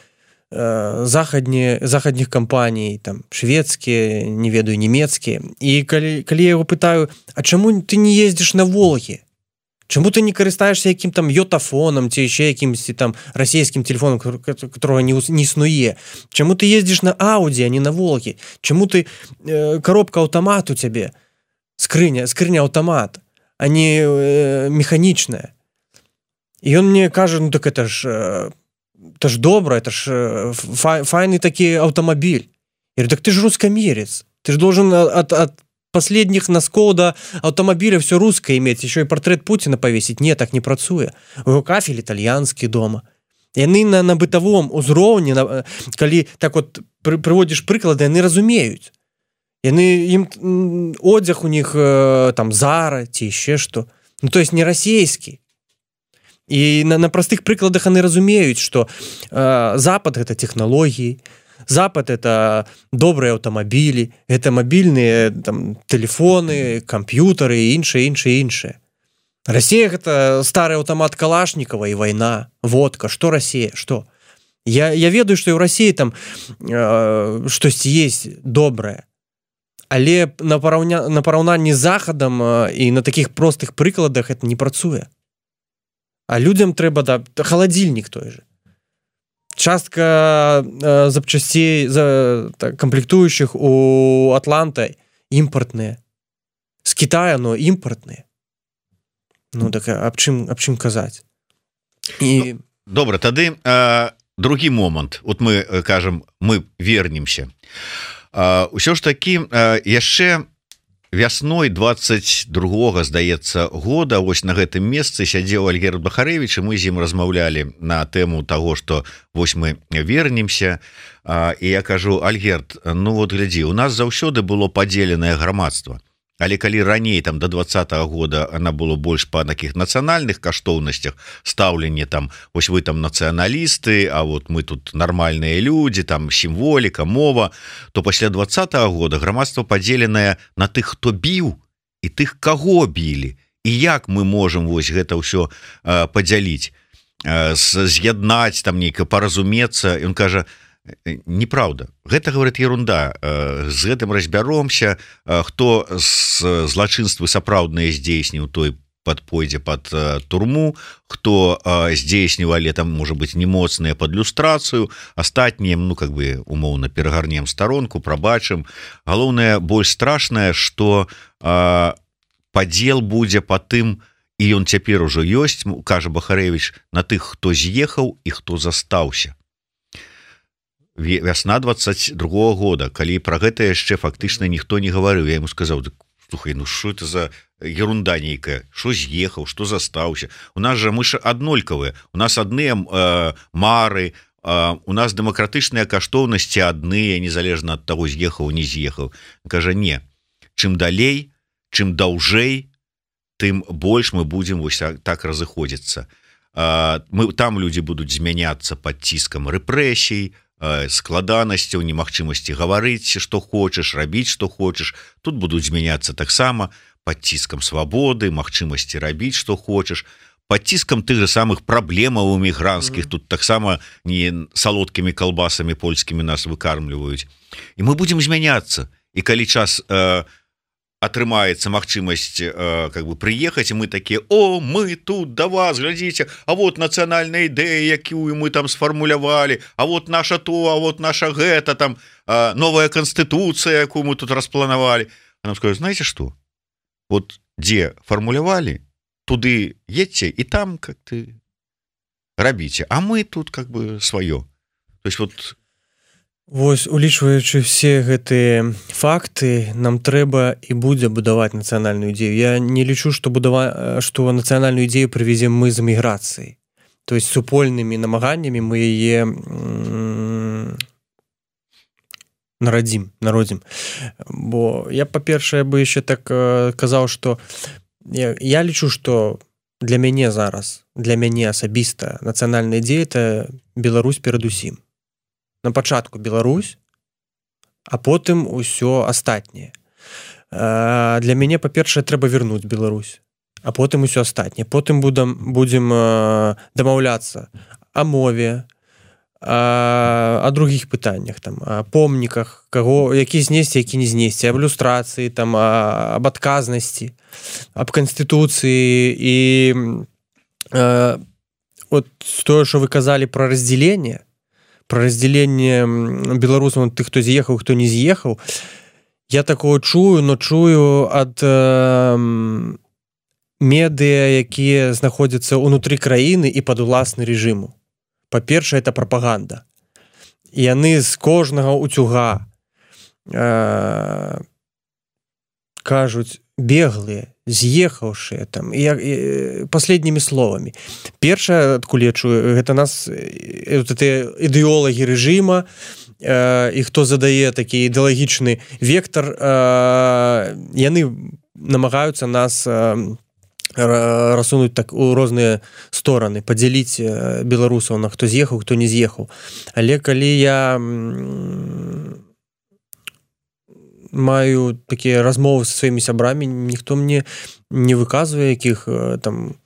заходніх кампаній, там шведскія, не ведаю, нямецкія. І калі я яго пытаю, а чаму ты не ездзіш на Волгі? Чаму ты не карыстаешься якім там йотафоном ці яшчэ якімсьці там расійскім телефоном, которого не існуе? Чаму ты ездзіш на Ауді, а не на Волгі? Чаму ты коробка аўтамат у цябе? Скрыня аўтамат, а не механічная. І ён мне кажа, ну так это ж добра, это ж файны такі аўтамабіль. Я говорю, так ты ж рускамерец. Ты ж должен от последних носков до автомобиля все русское иметь, еще и портрет Путина повесить. Не, так не працуе. У его кафель итальянский дома. Яны на бытовом узроўні, калі так вот прыводзіш прыклады, яны разумеюць. Ім одзяг у них там Зара ці яшчэ што. Ну, то есть не расійскі. І на простых прыкладах яны разумеюць, што Запад гэта тэхналогіі, Запад это добрыя аўтамабілі, это мабільныя там тэлефоны, камп'ютары і іншае. Расія гэта стары аўтамат Калашнікова і вайна, водка. Што Расія? Што? Я ведаю, што і ў Расіі там штосьці есть добрае. Але на параўнанні з Захадам і на такіх простых прыкладах это не працуе. А людям трэба халадзільнік той же. Частка запчастей комплектующих у Атланта імпартныя. З Китая, но імпартныя. Ну так аб чым казаць? І... Добра, тады другі момант. Вот мы кажам, мы вернемся. Усё ж такі яшчэ вясной 22-го, здаецца, года вось на гэтым месцы сядзеў Альгерд Бахарэвіч, і мы з ім размаўлялі на тэму таго, што вось мы вернемся. І я кажу, Альгерд, ну вот глядзі, у нас заўсёды было падзеленае грамадства. Але калі раней там до 20-го года она было больш па таких нацыянальных каштоўнасцях, стаўленне там, вось вы там нацыяналісты, а вот мы тут нармальныя людзі, там сімволіка, мова, то пасля 20-го года грамадства падзеленае на тых, хто біў, і тых, каго білі, і як мы можам вось гэта ўсё падзяліць, з'яднаць там нейка, паразумецца. Ён кажа, неправда, гэта, говорит, ерунда, з гэтым разбяромся, хто злачынствы сапраўдныя здзейсніў, той пойдзе под турму, хто здзейсніў, але там можа быць немоцныя под люстрацыю, астатнія, ну как бы умоўна перагарнем старонку, прабачым. Галоўнае, больш страшнае, што падзел будзе па тым, і ён цяпер ужо ёсць, кажа Бахарэвіч, на тых, хто з'ехаў і хто застаўся. Вясна 22-го года, калі пра гэта яшчэ фактычна ніхто не гаварыў, я яму сказаў, слухай, ну што это за ерунда нейкая, што з'ехаў, што застаўся? У нас жа мы ж аднолькавыя, у нас адныя мары, у нас дэмакратычныя каштоўнасці адныя, незалежна ад таго, з'ехаў, не з'ехаў. Кажа, не, чым далей, чым даўжэй, тым больш мы будзем вось так разыходзіцца. Там людзі будуць змяняцца пад ціскам рэпрэсій, складанасцяў, немагчымасці гаварыць, што хочаш, рабіць, што хочаш. Тут будуць змяняцца таксама пад ціскам свабоды, магчымасці рабіць, што хочаш, пад ціскам тых же самых праблемаў эмігранцкіх. Тут таксама не салодкімі калбасамі польскімі нас выкармліваюць. І мы будзем змяняцца. І калі час атрымаецца магчымасць как бы прыехаць, і мы такія, о, мы тут да вас, глядзіце, а вот нацыянальная ідэя, якую мы там сфармулявалі, а вот наша то, а вот наша гэта, там новая канстытуцыя, якую мы тут распланавалі. А нам скажу, знаете што? Вот дзе фармулявалі, туды едьце, і там как-то рабіце, а мы тут как бы сваё. То есть вот... Вось, улічваючы все гэтыя факты, нам трэба і будзе будаваць нацыянальную ідзею. Я не лічу, што нацыянальную ідзею прывезем мы з эміграцыяй. То есть супольнымі намаганнямі мы яе народзім. Бо я, па-першае, бы яшчэ так казаў, што я лічу, што для мяне зараз, для мяне асабіста нацыянальная ідзея — это Беларусь перадусім. На пачатку Беларусь, а потым усё астатняе. Для мяне, па-першае, трэба вярнуць Беларусь, а потым усё астатняе. Потым будзем дамаўляцца о мове, о других пытаннях, там, о помніках, каго, які знесці, які не знесці, аб люстрацыі, там, аб адказнасці, аб канстытуцыі. І от тое, што вы казалі пра раздзяленне беларусаў, тых, хто з'ехаў, хто не з'ехаў, я такого чую, но чую ад медыа, якія знаходзяцца ўнутры краіны і пад уласны рэжыму. Па-першае, это прапаганда. І яны з кожнага утюга кажуць беглыя, з'ехаўшыя, там, последнімі словамі. Першае, адкуль я чую, гэта нас ідэолагі рэжыма, і хто задае такі ідэалагічны вектар, яны намагаюцца нас рассунуць так у розныя стороны, падзяліць беларусаў на хто з'ехаў, хто не з'ехаў. Але калі я маю такія размовы са сваімі сябрамі, ніхто мне не выказвае якіх там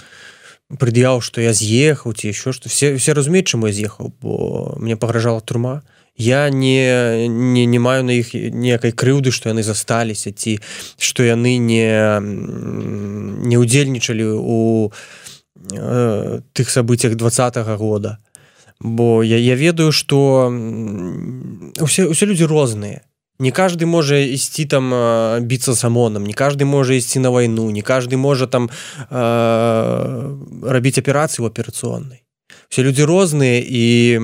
прыд'яў, што я з'ехаў ці еще што. Все разумеюць, чаму я з'ехаў, бо мне пагражала турма. Я не маю на іх ніякай крыўды, што яны засталіся, ці што яны не ўдзельнічалі у тых сабыццях 20-го года. Бо я ведаю, што усе людзі розныя. Не каждый можа ісці там біцца з ОМОНом, не каждый можа ісці на вайну, не каждый можа там рабіць аперацыю аперацыйнай. Все людзі розныя, і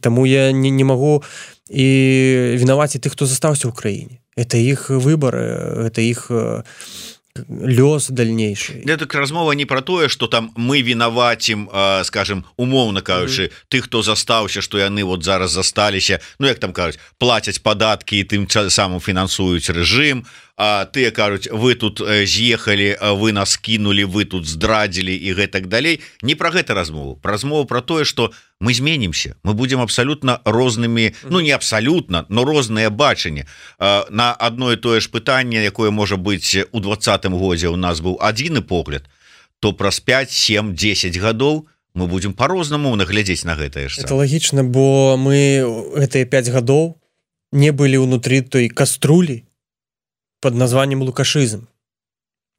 таму я не магу і вінаваціць тых, хто застаўся ў краіне. Это іх выбор, это іх лёс дальнейшы. Так размова не про тое, что там мы вінавацім, скажем, умоўна кажучы, тых, хто застаўся, што яны вот зараз засталіся, ну як там кажуць, плацяць падаткі і тым самым фінансуюць рэжым, а тыя кажуць, вы тут з'ехалі, вы нас кінулі, вы тут здрадзілі і гэтак далей. Не про гэта размову. Размову про тое, што мы зменімся, мы будем абсалютна рознымі, ну не абсалютна, но розныя бачанні. На одно і тое ж пытанне, якое можа быць у 20-м годзе у нас быў адзіны погляд, то праз 5, 7, 10 гадоў мы будем по-рознаму наглядзець на гэтае ж. Это лагічна, бо мы гэтыя 5 гадоў не былі ўнутры той каструлі под названием лукашизм,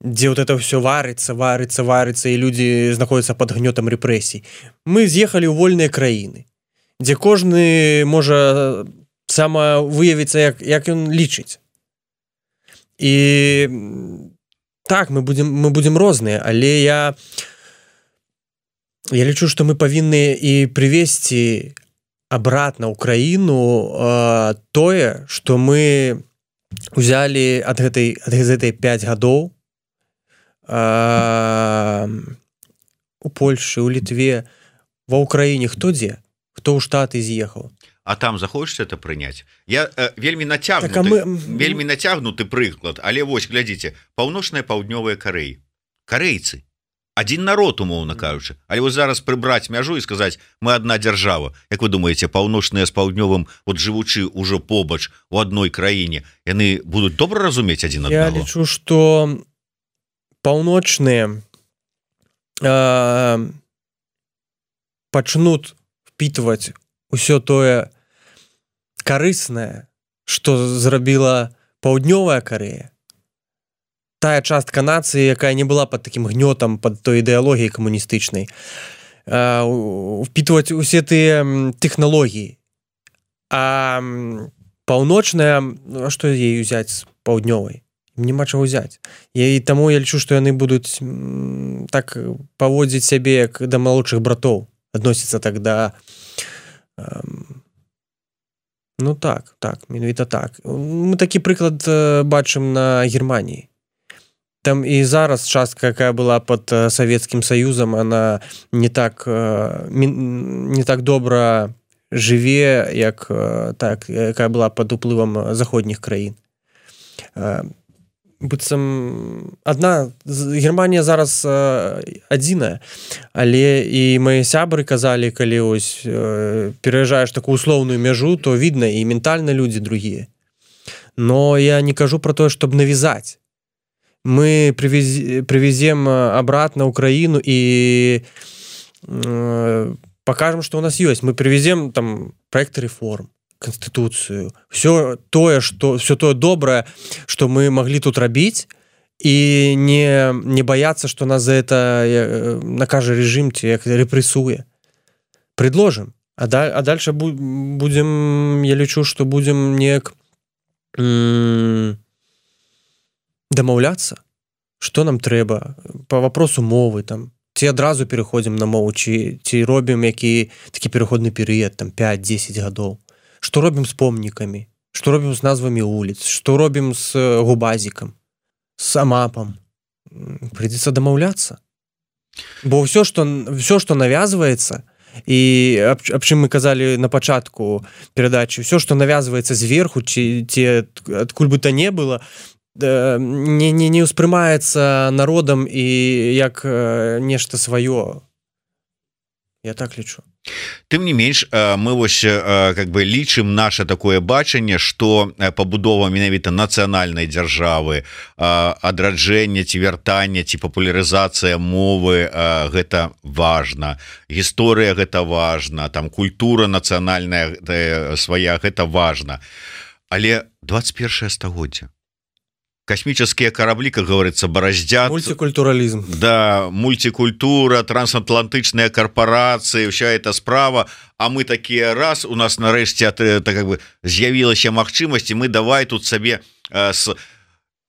где вот это все варится, и люди знаходятся под гнетом репрессий. Мы з'ехали ў вольныя краіны, где кожны можа самавыявіцца, як ён лічыць. І так, мы будем розныя, але я лічу, што мы павінны і прывесці обратно ў краіну тое, што мы узялі ад гэтай 5 гадоў у Польшы, у Літве, ва Ўкраіне, хто дзе? Хто ў Штаты з'ехаў? А там захочешь это прыняць? Я вельмі нацягнуты прыклад, але вось, глядзіце, паўночная-паўднёвая Карэя. Карэйцы. Адзін народ, умоўна кажучы. Але вось зараз прыбраць мяжу і сказаць, мы адна дзяржава. Як вы думаеце, паўночныя з паўднёвым, вот жывучы ўжо побач у адной краіне, яны будуць добра разумець адзін аднаго? Я лічу, што паўночныя пачнуць впітваць усё тое карыснае, што зрабіла паўднёвая Карэя. Тая частка нацыі, якая не была под таким гнётам, под той ідэалогіяй камуністычнай, впітваць усе тыя тэхналогіі. А паўночная, што ей узяць з паўднёвай? Няма чаго ўзяць. І таму я лічу, што яны будуць так паводзіць сябе, як да малодшых братоў, адносіцца так да... Ну так, менавіта так. Мы такі прыклад бачым на Германіі. Там і зараз частка, якая была под Савецкім Саюзам, она не так добра жыве, як так, якая была под уплывам заходніх краін. Быццам Германія зараз адзіная, але і мае сябры казалі, калі ось пераязджаеш такую услоўную мяжу, то відно, і ментальна людзі другія. Но я не кажу про тое, чтобы навязать. Мы привезем обратно Украину и покажем, что у нас есть. Мы привезем там проекты реформ, конституцию, все тое доброе, что мы могли тут рабіць, и не бояться, что нас за это накажет режим, як репрессуе. Предложим. А дальше будем, я лічу, что будем неяк дамаўляцца, что нам трэба по вопросу мовы, там, ці адразу переходим на мову, ці робім такі переходны перыяд, там, 5-10 гадоў. Что робім з помнікамі, что робім з назвамі вуліц, что робім з губазікам, з амапам. Придется дамаўляцца. Бо все, что навязывается, и об чым мы казалі на пачатку перадачы, все, что навязывается зверху, ці адкуль бы то не было, не ўспрымаецца народам і як нешта сваё. Я так лічу. Тым не менш, мы вось как бы лічым наше такое бачанне, што пабудова менавіта нацыянальнай дзяржавы, адраджэнне ці вяртанне ці папулярызацыя мовы, гэта важна. Гісторыя гэта важна, там культура нацыянальная свая, гэта важна. Але 21 стагоддзе. Космические корабли, как говорится, бороздят. Мультикультурализм. Да, мультикультура, трансатлантычные корпорации, вся эта справа. А мы такие раз, у нас нарэшце как бы з'явілася магчымасць, мы давай тут сабе с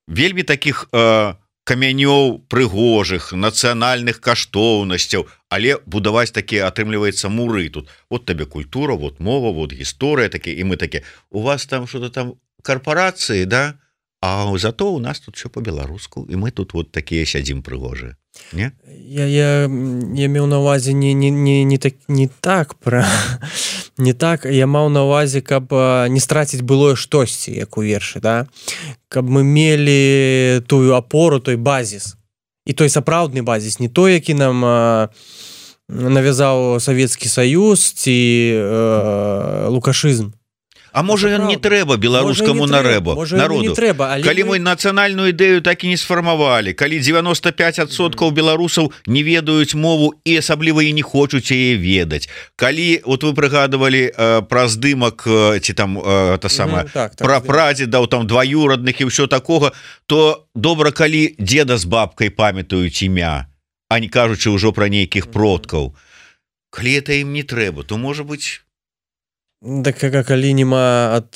вельмі таких камянёў прыгожых, нацыянальных каштоўнасцяў, але будаваць такія, атрымліваецца, муры тут. Вот табе культура, вот мова, вот гісторыя, такие, и мы такие, у вас там что-то там корпорации, да? А зато у нас тут все по-беларуску, и мы тут вот такие сядзім прыгожыя. Не? Я меў на увазе не так, я маў на увазе, каб не страціць былое штосьці, як у вершы, да? Каб мы мелі тую апору, той базіс. І той сапраўдны базіс, не той, які нам навязаў Савецкі Саюз ці лукашызм. А можа ён не трэба беларускаму народу. Калі мы нацыянальную ідэю так і не сфармавалі, калі 95% беларусаў не ведаюць мову і асабліва і не хочуць яе ведаць, калі вот вы прыгадывалі пра здымак ці там пра прадзедаў, там дваюрадных і ўсё такога, то добра, калі дзеда з бабкай памятаюць імя, а не кажучы ўжо пра нейкіх продкаў. Калі это ім не трэба, то можа быць. Так калі нема ад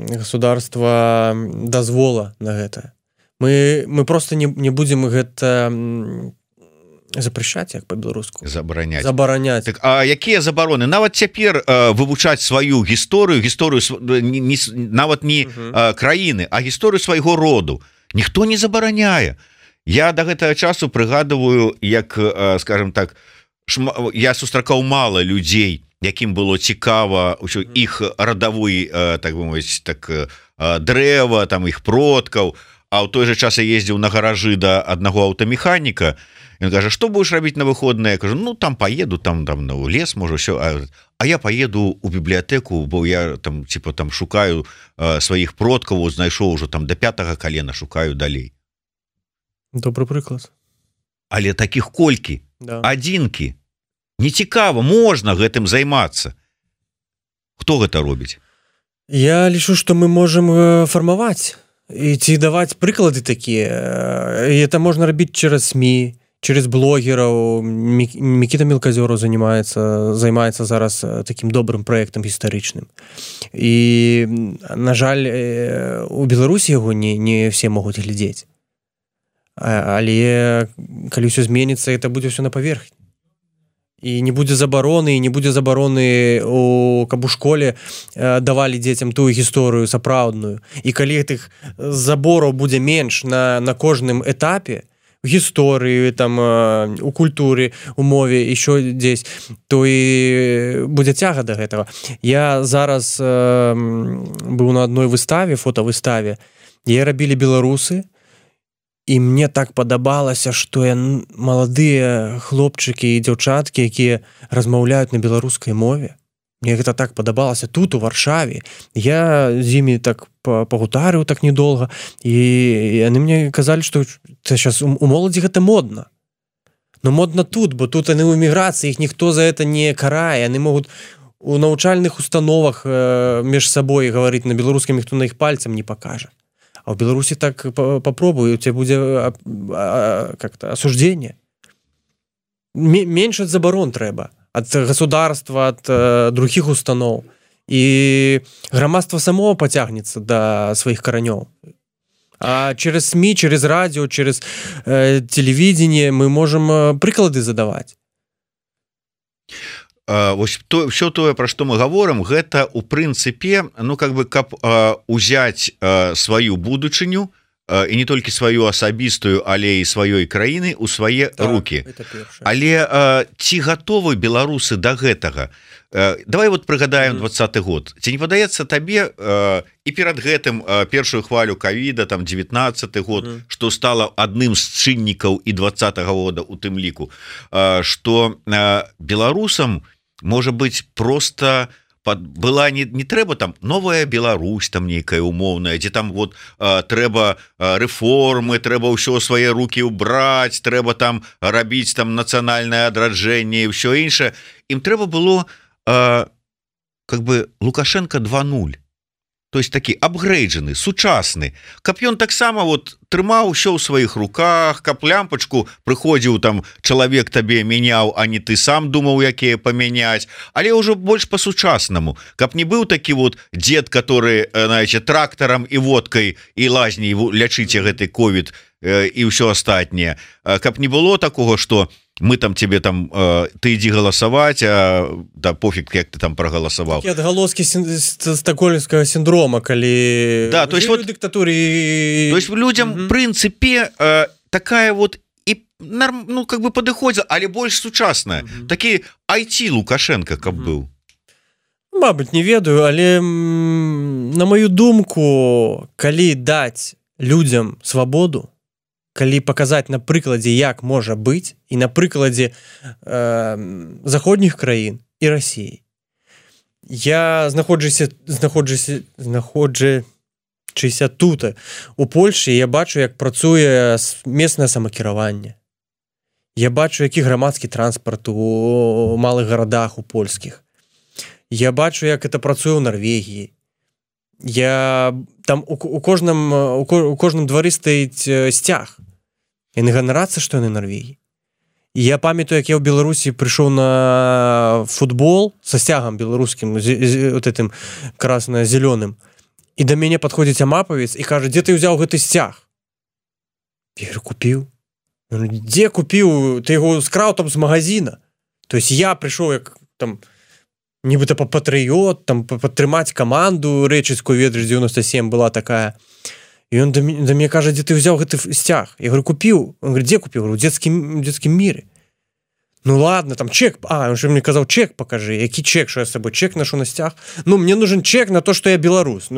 государства дазвола на гэта, мы просто не будзем гэта запрещаць, як по-беларуску, забараняць. Так, а якія забароны? Нават цяпер вывучаць сваю гісторыю нават не краіны, а гісторыю свайго роду ніхто не забараняе. Я да гэтага часу прыгадываю, як, скажем так, я сустракаў мала людзей, якім было цікава ўсё іх радавой, так бы мовіць, так, дрэва, там іх продкаў. А ў той же час я ездзіў на гаражы да аднаго аўтамеханіка. Ён кажа, што будеш рабіць на выходныя? Я кажу, ну там поеду, там на лес, можа, ўсё. А я поеду у бібліятэку, бо я там типа там шукаю сваіх продкаў, знайшоў ужо там до 5-го колена, шукаю далей. Добры прыклад. Але таких колькі, да. Адзінкі. Нецікава, можна гэтым займацца. Хто гэта робіць? Я лічу, што мы можам фармаваць і ці даваць прыклады такія. І это можна рабіць через СМІ, через блогераў. Мікіта Мелказёраў займаецца зараз такім добрым праектам гістарычным. І, на жаль, у Беларусі яго не все могуць глядзець. Але калі ўсё зменіцца, это будзе ўсё на паверхні. І не будзе забароны, каб у школе давалі дзецям тую гісторыю сапраўдную. І калі гэтых забораў будзе менш на кожным этапе, у гісторыі, там, у культуры, у мове, ещё дзесь, то і будзе цяга да гэтага. Я зараз быў на адной выставе, фотавыставе, яе рабілі беларусы, і мне так падабалася, што маладыя хлопчыкі і дзяўчаткі, якія размаўляюць на беларускай мове. Мне гэта так падабалася тут, у Варшаве. Я з імі так пагутарыў так недолга, і яны мне казалі, што сейчас у моладзі гэта модна. но модна тут, бо тут яны ў эміграцыі, іх ніхто за это не карае, яны могуць у навучальных установах між сабой гаварыць на беларускім, ніхто на іх пальцам не пакажа. А ў Беларусі так попробуй, у тебя будзе как-то осуждение. Менш ад забарон трэба, ад государства, ад других устаноў. І грамадства само пацягнецца да сваіх каранёў. А через СМИ, через радио, через телевидение мы можем прыклады задаваць. Вось все тое, пра што мы гаворым, гэта у прынцыпе, ну как бы каб узяць сваю будучыню, і не толькі сваю асабістую, але і сваёй краіны у свае рукі. Але ці гатовы беларусы да гэтага? Давай вот прыгадаем 20-й год. Ці не падаецца табе і перад гэтым першую хвалю ковіда, там 19-й год, што стала адным з чыннікаў і 20-го года у тым ліку, што беларусам можа быць просто была не трэба там новая Беларусь там нейкая умоўная, дзе там вот трэба рэформы, трэба ўсё свае рукі ўбраць, трэба там рабіць там нацыянальнае адраджэнне і ўсё іншае. Ім трэба было как бы Лукашенко 2.0. То есть такі апгрейджаны, сучасны, каб ён таксама вот трымаў усё ў сваіх руках, каб лямпачку прыходзіў там чалавек табе мяняў, а не ты сам думаў, якія памяняць, але ўжо больш па-сучаснаму, каб не быў такі вот дзед, который, знаете, трактарам і водкай і лазняй лячыце гэты ковід і ўсё астатняе, каб не было такого, что мы там тебе там ты ідзі галасаваць, да пофіг, як ты там прагаласаваў. Такі адгалоскі стакгольмскага сіндрома, калі да, то есть вот дыктатуры. То есть людям в прынцыпе такая вот і ну как бы падыходзіла, але больш сучасная. Такі IT Лукашенко каб быў. Мабыць, не ведаю, але на маю думку, калі даць людям свабоду, калі паказаць на прыкладзе, як можа быць, і на прыкладзе заходніх краін і Расіі. Я знаходжуся тут, у Польші, я бачу, як працуе месцнае самакіраванне. Я бачу, які грамадскі транспарт у малых гарадах, у польскіх. Я бачу, як это працуе ў Нарвегіі. Там у кожным двары стаіць сцяг. Яны ганарацца, што яны Нарвегіі. І я памятаю, як я ў Беларусі прыйшоў на футбол са сцягам беларускім, вот этим красно-зелёным, і да мяне падходзіць амапавец і кажа: дзе ты ўзяў гэты сцяг? Я говорю: купіў. Дзе купіў? Ты яго скраў там з магазина. То есть я прыйшоў як там нібыта патрыёт, там падтрымаць каманду рэчыцкую, ведаеш, 97 была такая. І он да мяне кажа: дзе ты ўзяў гэты сцяг? Я говорю: купіў. Он говорит: дзе купіў? У дзецкім міры. Ну ладно, там чек. Он же мне казаў: чек покажи. Які чек, що я з сабой чек ношу на сцяг? Ну, мне нужен чек на то, что я беларус.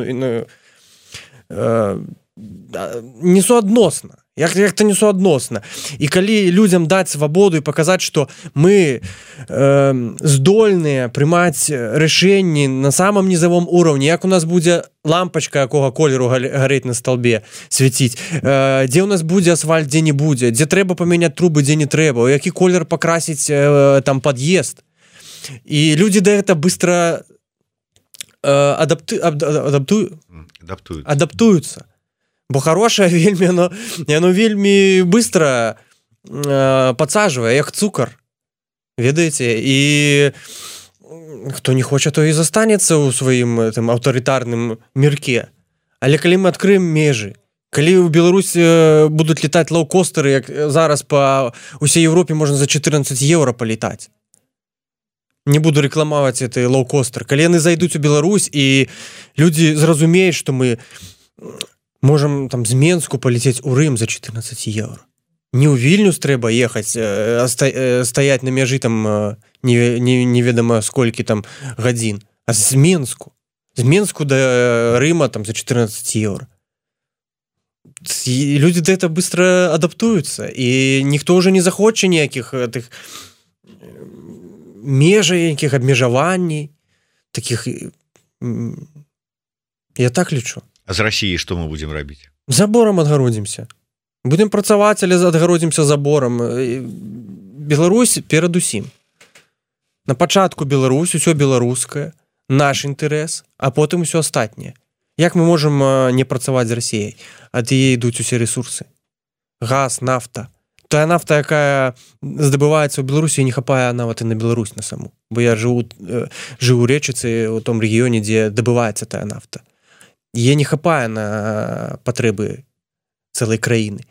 Несуадносна. Як-то несуадносна. І калі людям даць свабоду і паказаць, што мы здольныя прымаць рашэнні на самым низавом уровні, як у нас будзе лампачка якога колеру гарэць на сталбе, свяціць, дзе у нас будзе асфальт, дзе не будзе, дзе трэба памяняць трубы, дзе не трэба, у які колер пакрасіць там пад'езд. І людзі да гэта быстро адаптуюцца. Бо хорошае вельмі, яно вельмі быстро подсаживае, як цукар, ведаеце, і хто не хоча, то і застанецца ў сваім аўтарытарным мірке. Але калі мы адкрыем межы, калі ў Беларусі будуць летаць лоукостеры, як зараз па ўсей Европе можна за 14 евро полетаць. Не буду рекламаваць гэты лоукостер. Калі яны зайдуць у Беларусь і людзі зразумеюць, што мы можем там з Менску полететь у Рым за 14 евро. Не ў Вільнюс трэба ехаць, стаять на мяжы там неведомо сколькі там гадзін, а з Менску. З Менску до Рыма там за 14 евро. І люди до этого быстро адаптуюцца, і ніхто уже не захоча ніякіх тых межаў, якіх абмежаванней, таких. Я так лічу. А з Расіі што мы будзем рабіць? Заборам адгародзімся. Будем працаваць, але адгародзімся заборам. Беларусь перадусім. На пачатку Беларусь, усё беларускае, наш інтарэс, а потым усё астатняе. Як мы можам не працаваць з Расіяй? Ад яе ідуць усе ресурсы. Газ, нафта. Тая нафта, якая здабываецца ў Беларусі, не хапае нават і на Беларусь на саму. Бо я жыву ў Рэчыцы, у том рэгіёне, дзе дабываецца тая нафта. Яе не хапае на патрэбы цэлай краіны.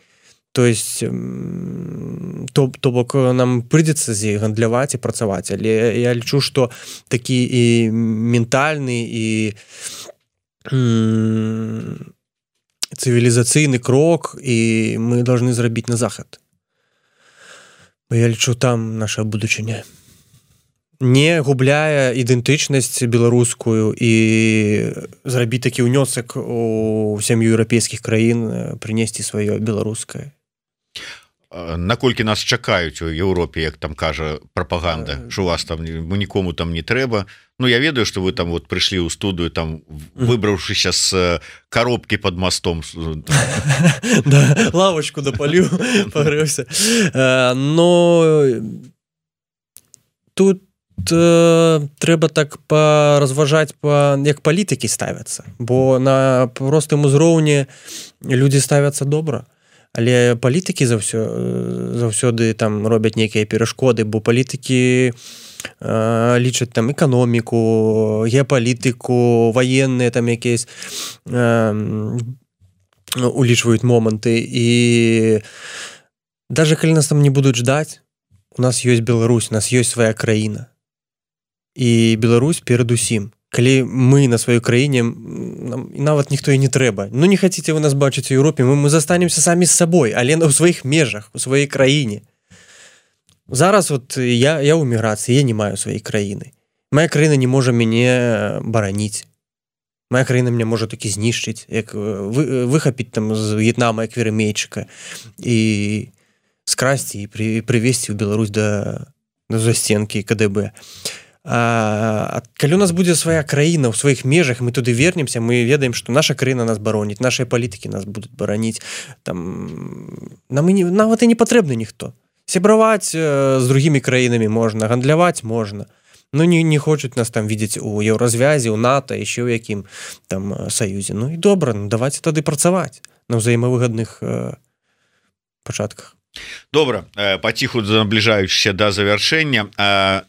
То есть, то бок нам прыйдзецца з ёй гандляваць і працаваць. Але я лічу, што такі і ментальны, і цывілізацыйны крок, і мы должны зрабіць на захад. Я лічу, там наша будучыня. Не губляе ідэнтычнасць беларускую і зрабіць такі ўнёсак у сям'ю еўрапейскіх краін, прынесці сваё беларускае. Наколькі нас чакаюць у Еўропе, як там кажа прапаганда, що у вас там нікому там не трэба. Ну, я ведаю, што вы там вот прыйшлі ў студыю, там выбраўшыся з коробкі под мостом. Да, лавочку допаліў, пагрэўся. Но тут трэба так паразважаць, як палітыкі ставяцца. Бо на простым узроўні людзі ставяцца добра. Але палітыкі заўсёды там робяць нейкія перашкоды, бо палітыкі лічаць там эканоміку, геапалітыку, ваенныя там якісь улічваюць моманты. І даже калі нас там не будуць ждаць, у нас ёсць Беларусь, у нас ёсць свая краіна. І Беларусь перадусім. Калі мы на сваёй краіне, нам нават ніхто і не трэба. Ну, не хаціце вы нас бачыць у Еўропе, мы застанемся самі з сабой, але ў сваіх межах, у сваёй краіне. Зараз вот я ў міграцыі, я не маю сваёй краіны. Моя краіна не можа мяне бараніць. Моя краіна мяне можа такі знішчыць, як выхапіць там з В'етнама як веремейчыка і скрасці і прывесці ў Беларусь да застенкі КДБ. Калі у нас будзе свая краіна ў сваіх межах, мы туды вернемся, мы ведаем, што наша краіна нас бароніць, нашыя палітыкі нас будуць бараніць. Нам нават і не патрэбны ніхто. Сябраваць з другімі краінамі можна, гандляваць можна. Ну, не хочуць нас там видзець у еўразвязі, у НАТО, яшчэ ў якім там саюзе. Ну і добра, давайте тады працаваць на ўзаемавыгадных пачатках. Добра, паціху набліжаючыся да завяршэння.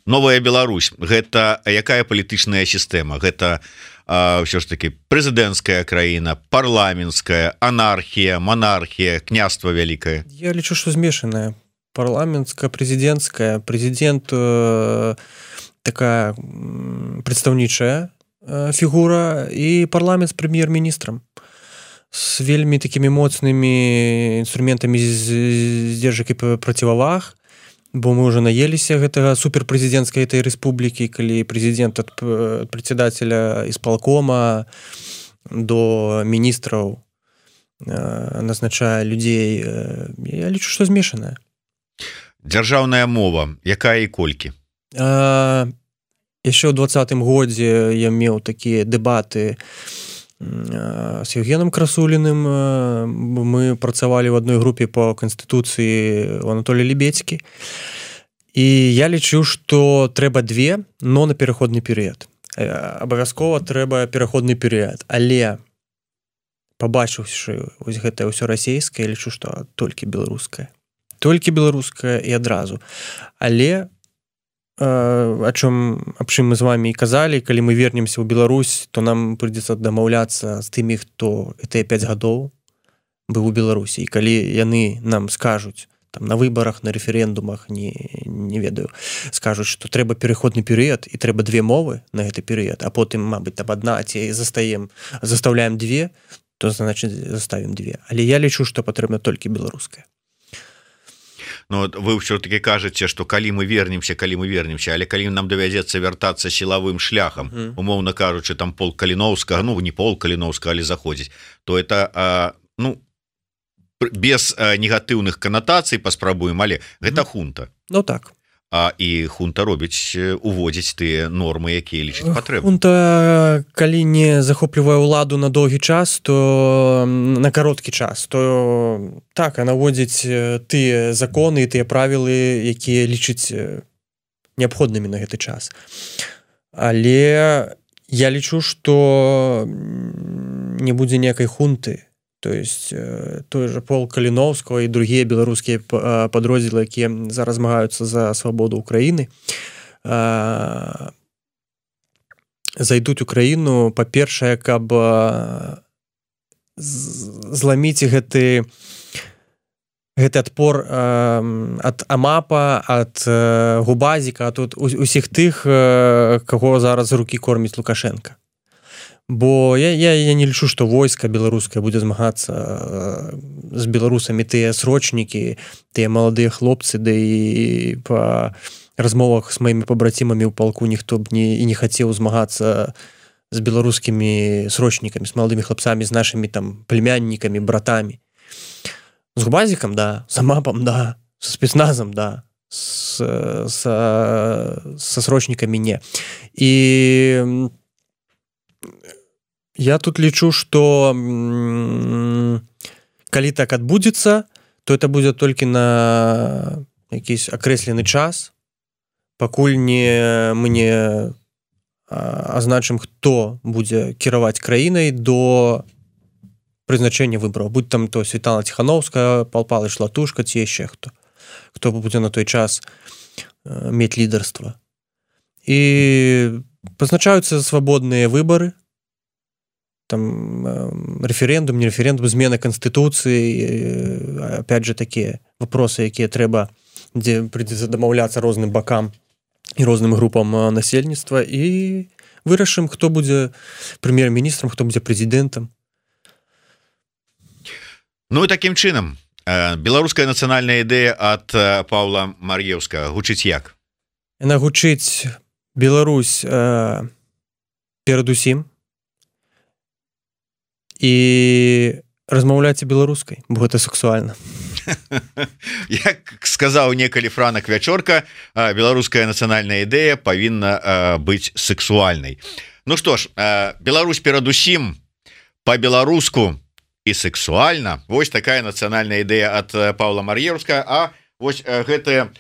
Новая Беларусь, гэта якая палітычная сістэма? Гэта ўсё ж такі прэзідэнцкая краіна, парламенцкая, анархія, монархія, княства вялікае? Я лічу, што змешаная. Парламенцкая, прэзідэнцкая. Прэзідэнт такая прадстаўнічая фігура і парламент з прэм'ер-міністрам. С вельмі такімі моцнымі інструментамі здзержак і проціваваг, бо мы ўжо наеліся гэтага суперпрэзідэнцкай этой рэспублікі, калі прэзідэнт ад прадседателя ісполкома до міністраў назначае людзей. Я лічу, што змешаная. Дзяржаўная мова, якая і колькі? Яшчэ ў 2020 годзе я меў такія дэбаты с Евгеном Красулиным. Мы працавалі в одной групе по Конституції у Анатолія Лібецькі. І я лічу, што трэба две, но на пераходны перыяд. Абавязкова трэба пераходны перыяд. Але пабачыўшы вось гэтае ўсё расейскае, я лічу, што толькі беларускае. Толькі беларускае і адразу. Але аб чым мы з вами і казалі, калі мы вернемся ў Беларусь, то нам прыйдзецца дамаўляцца з тымі, хто гэтыя 5 гадоў быў у Беларусі. І калі яны нам скажуць там на выбарах, на рэферэндумах, не ведаю, скажуць, што трэба пераходны перыяд і трэба 2 мовы на гэты перыяд, а потым, мабыць, там адна, ці заставляем 2, то значыць заставім 2. Але я лічу, што патрэбна толькі беларуская. Ну, вы ўсё-таки кажаце, што калі мы вернемся, але калі нам давядзецца вяртацца сілавым шляхам, умоўна кажучы, там полк Каліноўскага, ну, не полк Каліноўскага, але заходзіць, то это, ну, без негатыўных канатацый паспрабуем, але гэта хунта. Ну, так. і хунта робіць уводзіць тыя нормы, якія лічыць патрэбны. Хунта, калі не захоплівае ўладу на доўгі час, то на кароткі час, то так, а наводзіць тыя законы і тыя правілы, якія лічыць неабходнымі на гэты час. Але я лічу, што не будзе ніякай хунты. То есть той же полк Каліновскага і другія беларускія падроздзелы, якія зараз змагаюцца за свабоду Украіны, зайдуць у краіну, па-першае, каб зламіць гэты адпор ад АМАПа, ад Губазіка, ад усіх тых, каго зараз рукі корміць Лукашенка. Бо я не лічу, што войска беларускае будзе змагацца з беларусамі, тыя срочнікі, тыя маладыя хлопцы, да і па размовах з маімі пабрацімамі ў палку ніхто б не хацеў змагацца з беларускімі срочнікамі, з маладымі хлопцамі, з нашымі там племяннікамі, братамі. З Губазікам, да, з АМАПам, да, са спецназам, да, са срочнікамі не. І я тут лічу, што калі так адбудзецца, то это будзе толькі на якийсь акрэслены час, пакуль мы не азначым, хто будзе кіраваць краінай до прызначэння выбараў. Будь там то Святлана Ціхановская, Пал Палыч Латушка, ці яшчэ хто будзе на той час мець лідарства. І пазначаюцца свабодныя выбары, там референдум, не референдум, змена Конституции, опять же, такие вопросы, якія трэба, дзе прыйдзецца дамаўляцца розным бакам і розным групам насельніцтва, і вырашым, хто будзе прэм'ер-міністрам, хто будзе прэзідэнтам. Ну і такім чынам, беларуская нацыянальная ідэя ад Паўла Мар'еўскага гучыць як? Яна гучыць: Беларусь перадусім, і размаўляйце беларускай, бо гэта сексуальна. Як сказаў некалі Франак Вячорка, беларуская нацыянальная ідэя павінна быць сексуальнай. Ну што ж, Беларусь перадусім, па-беларуску і сексуальна. Вось такая нацыянальная ідэя ад Паўла Мар'еўскага, а вось гэтая,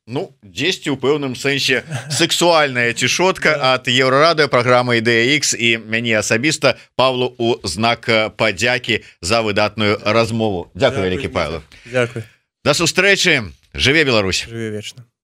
ну, дзесьці ў пэўным сэнсе сексуальная цішотка ад Еўрарадыё, праграмы Ідэя Х, і мяне асабіста Павлу у знак падзякі за выдатную размову. Дзякуй вялікі, Павел. Дзякуй. Да сустрэчы. Жыве Беларусь. Жыве вечна.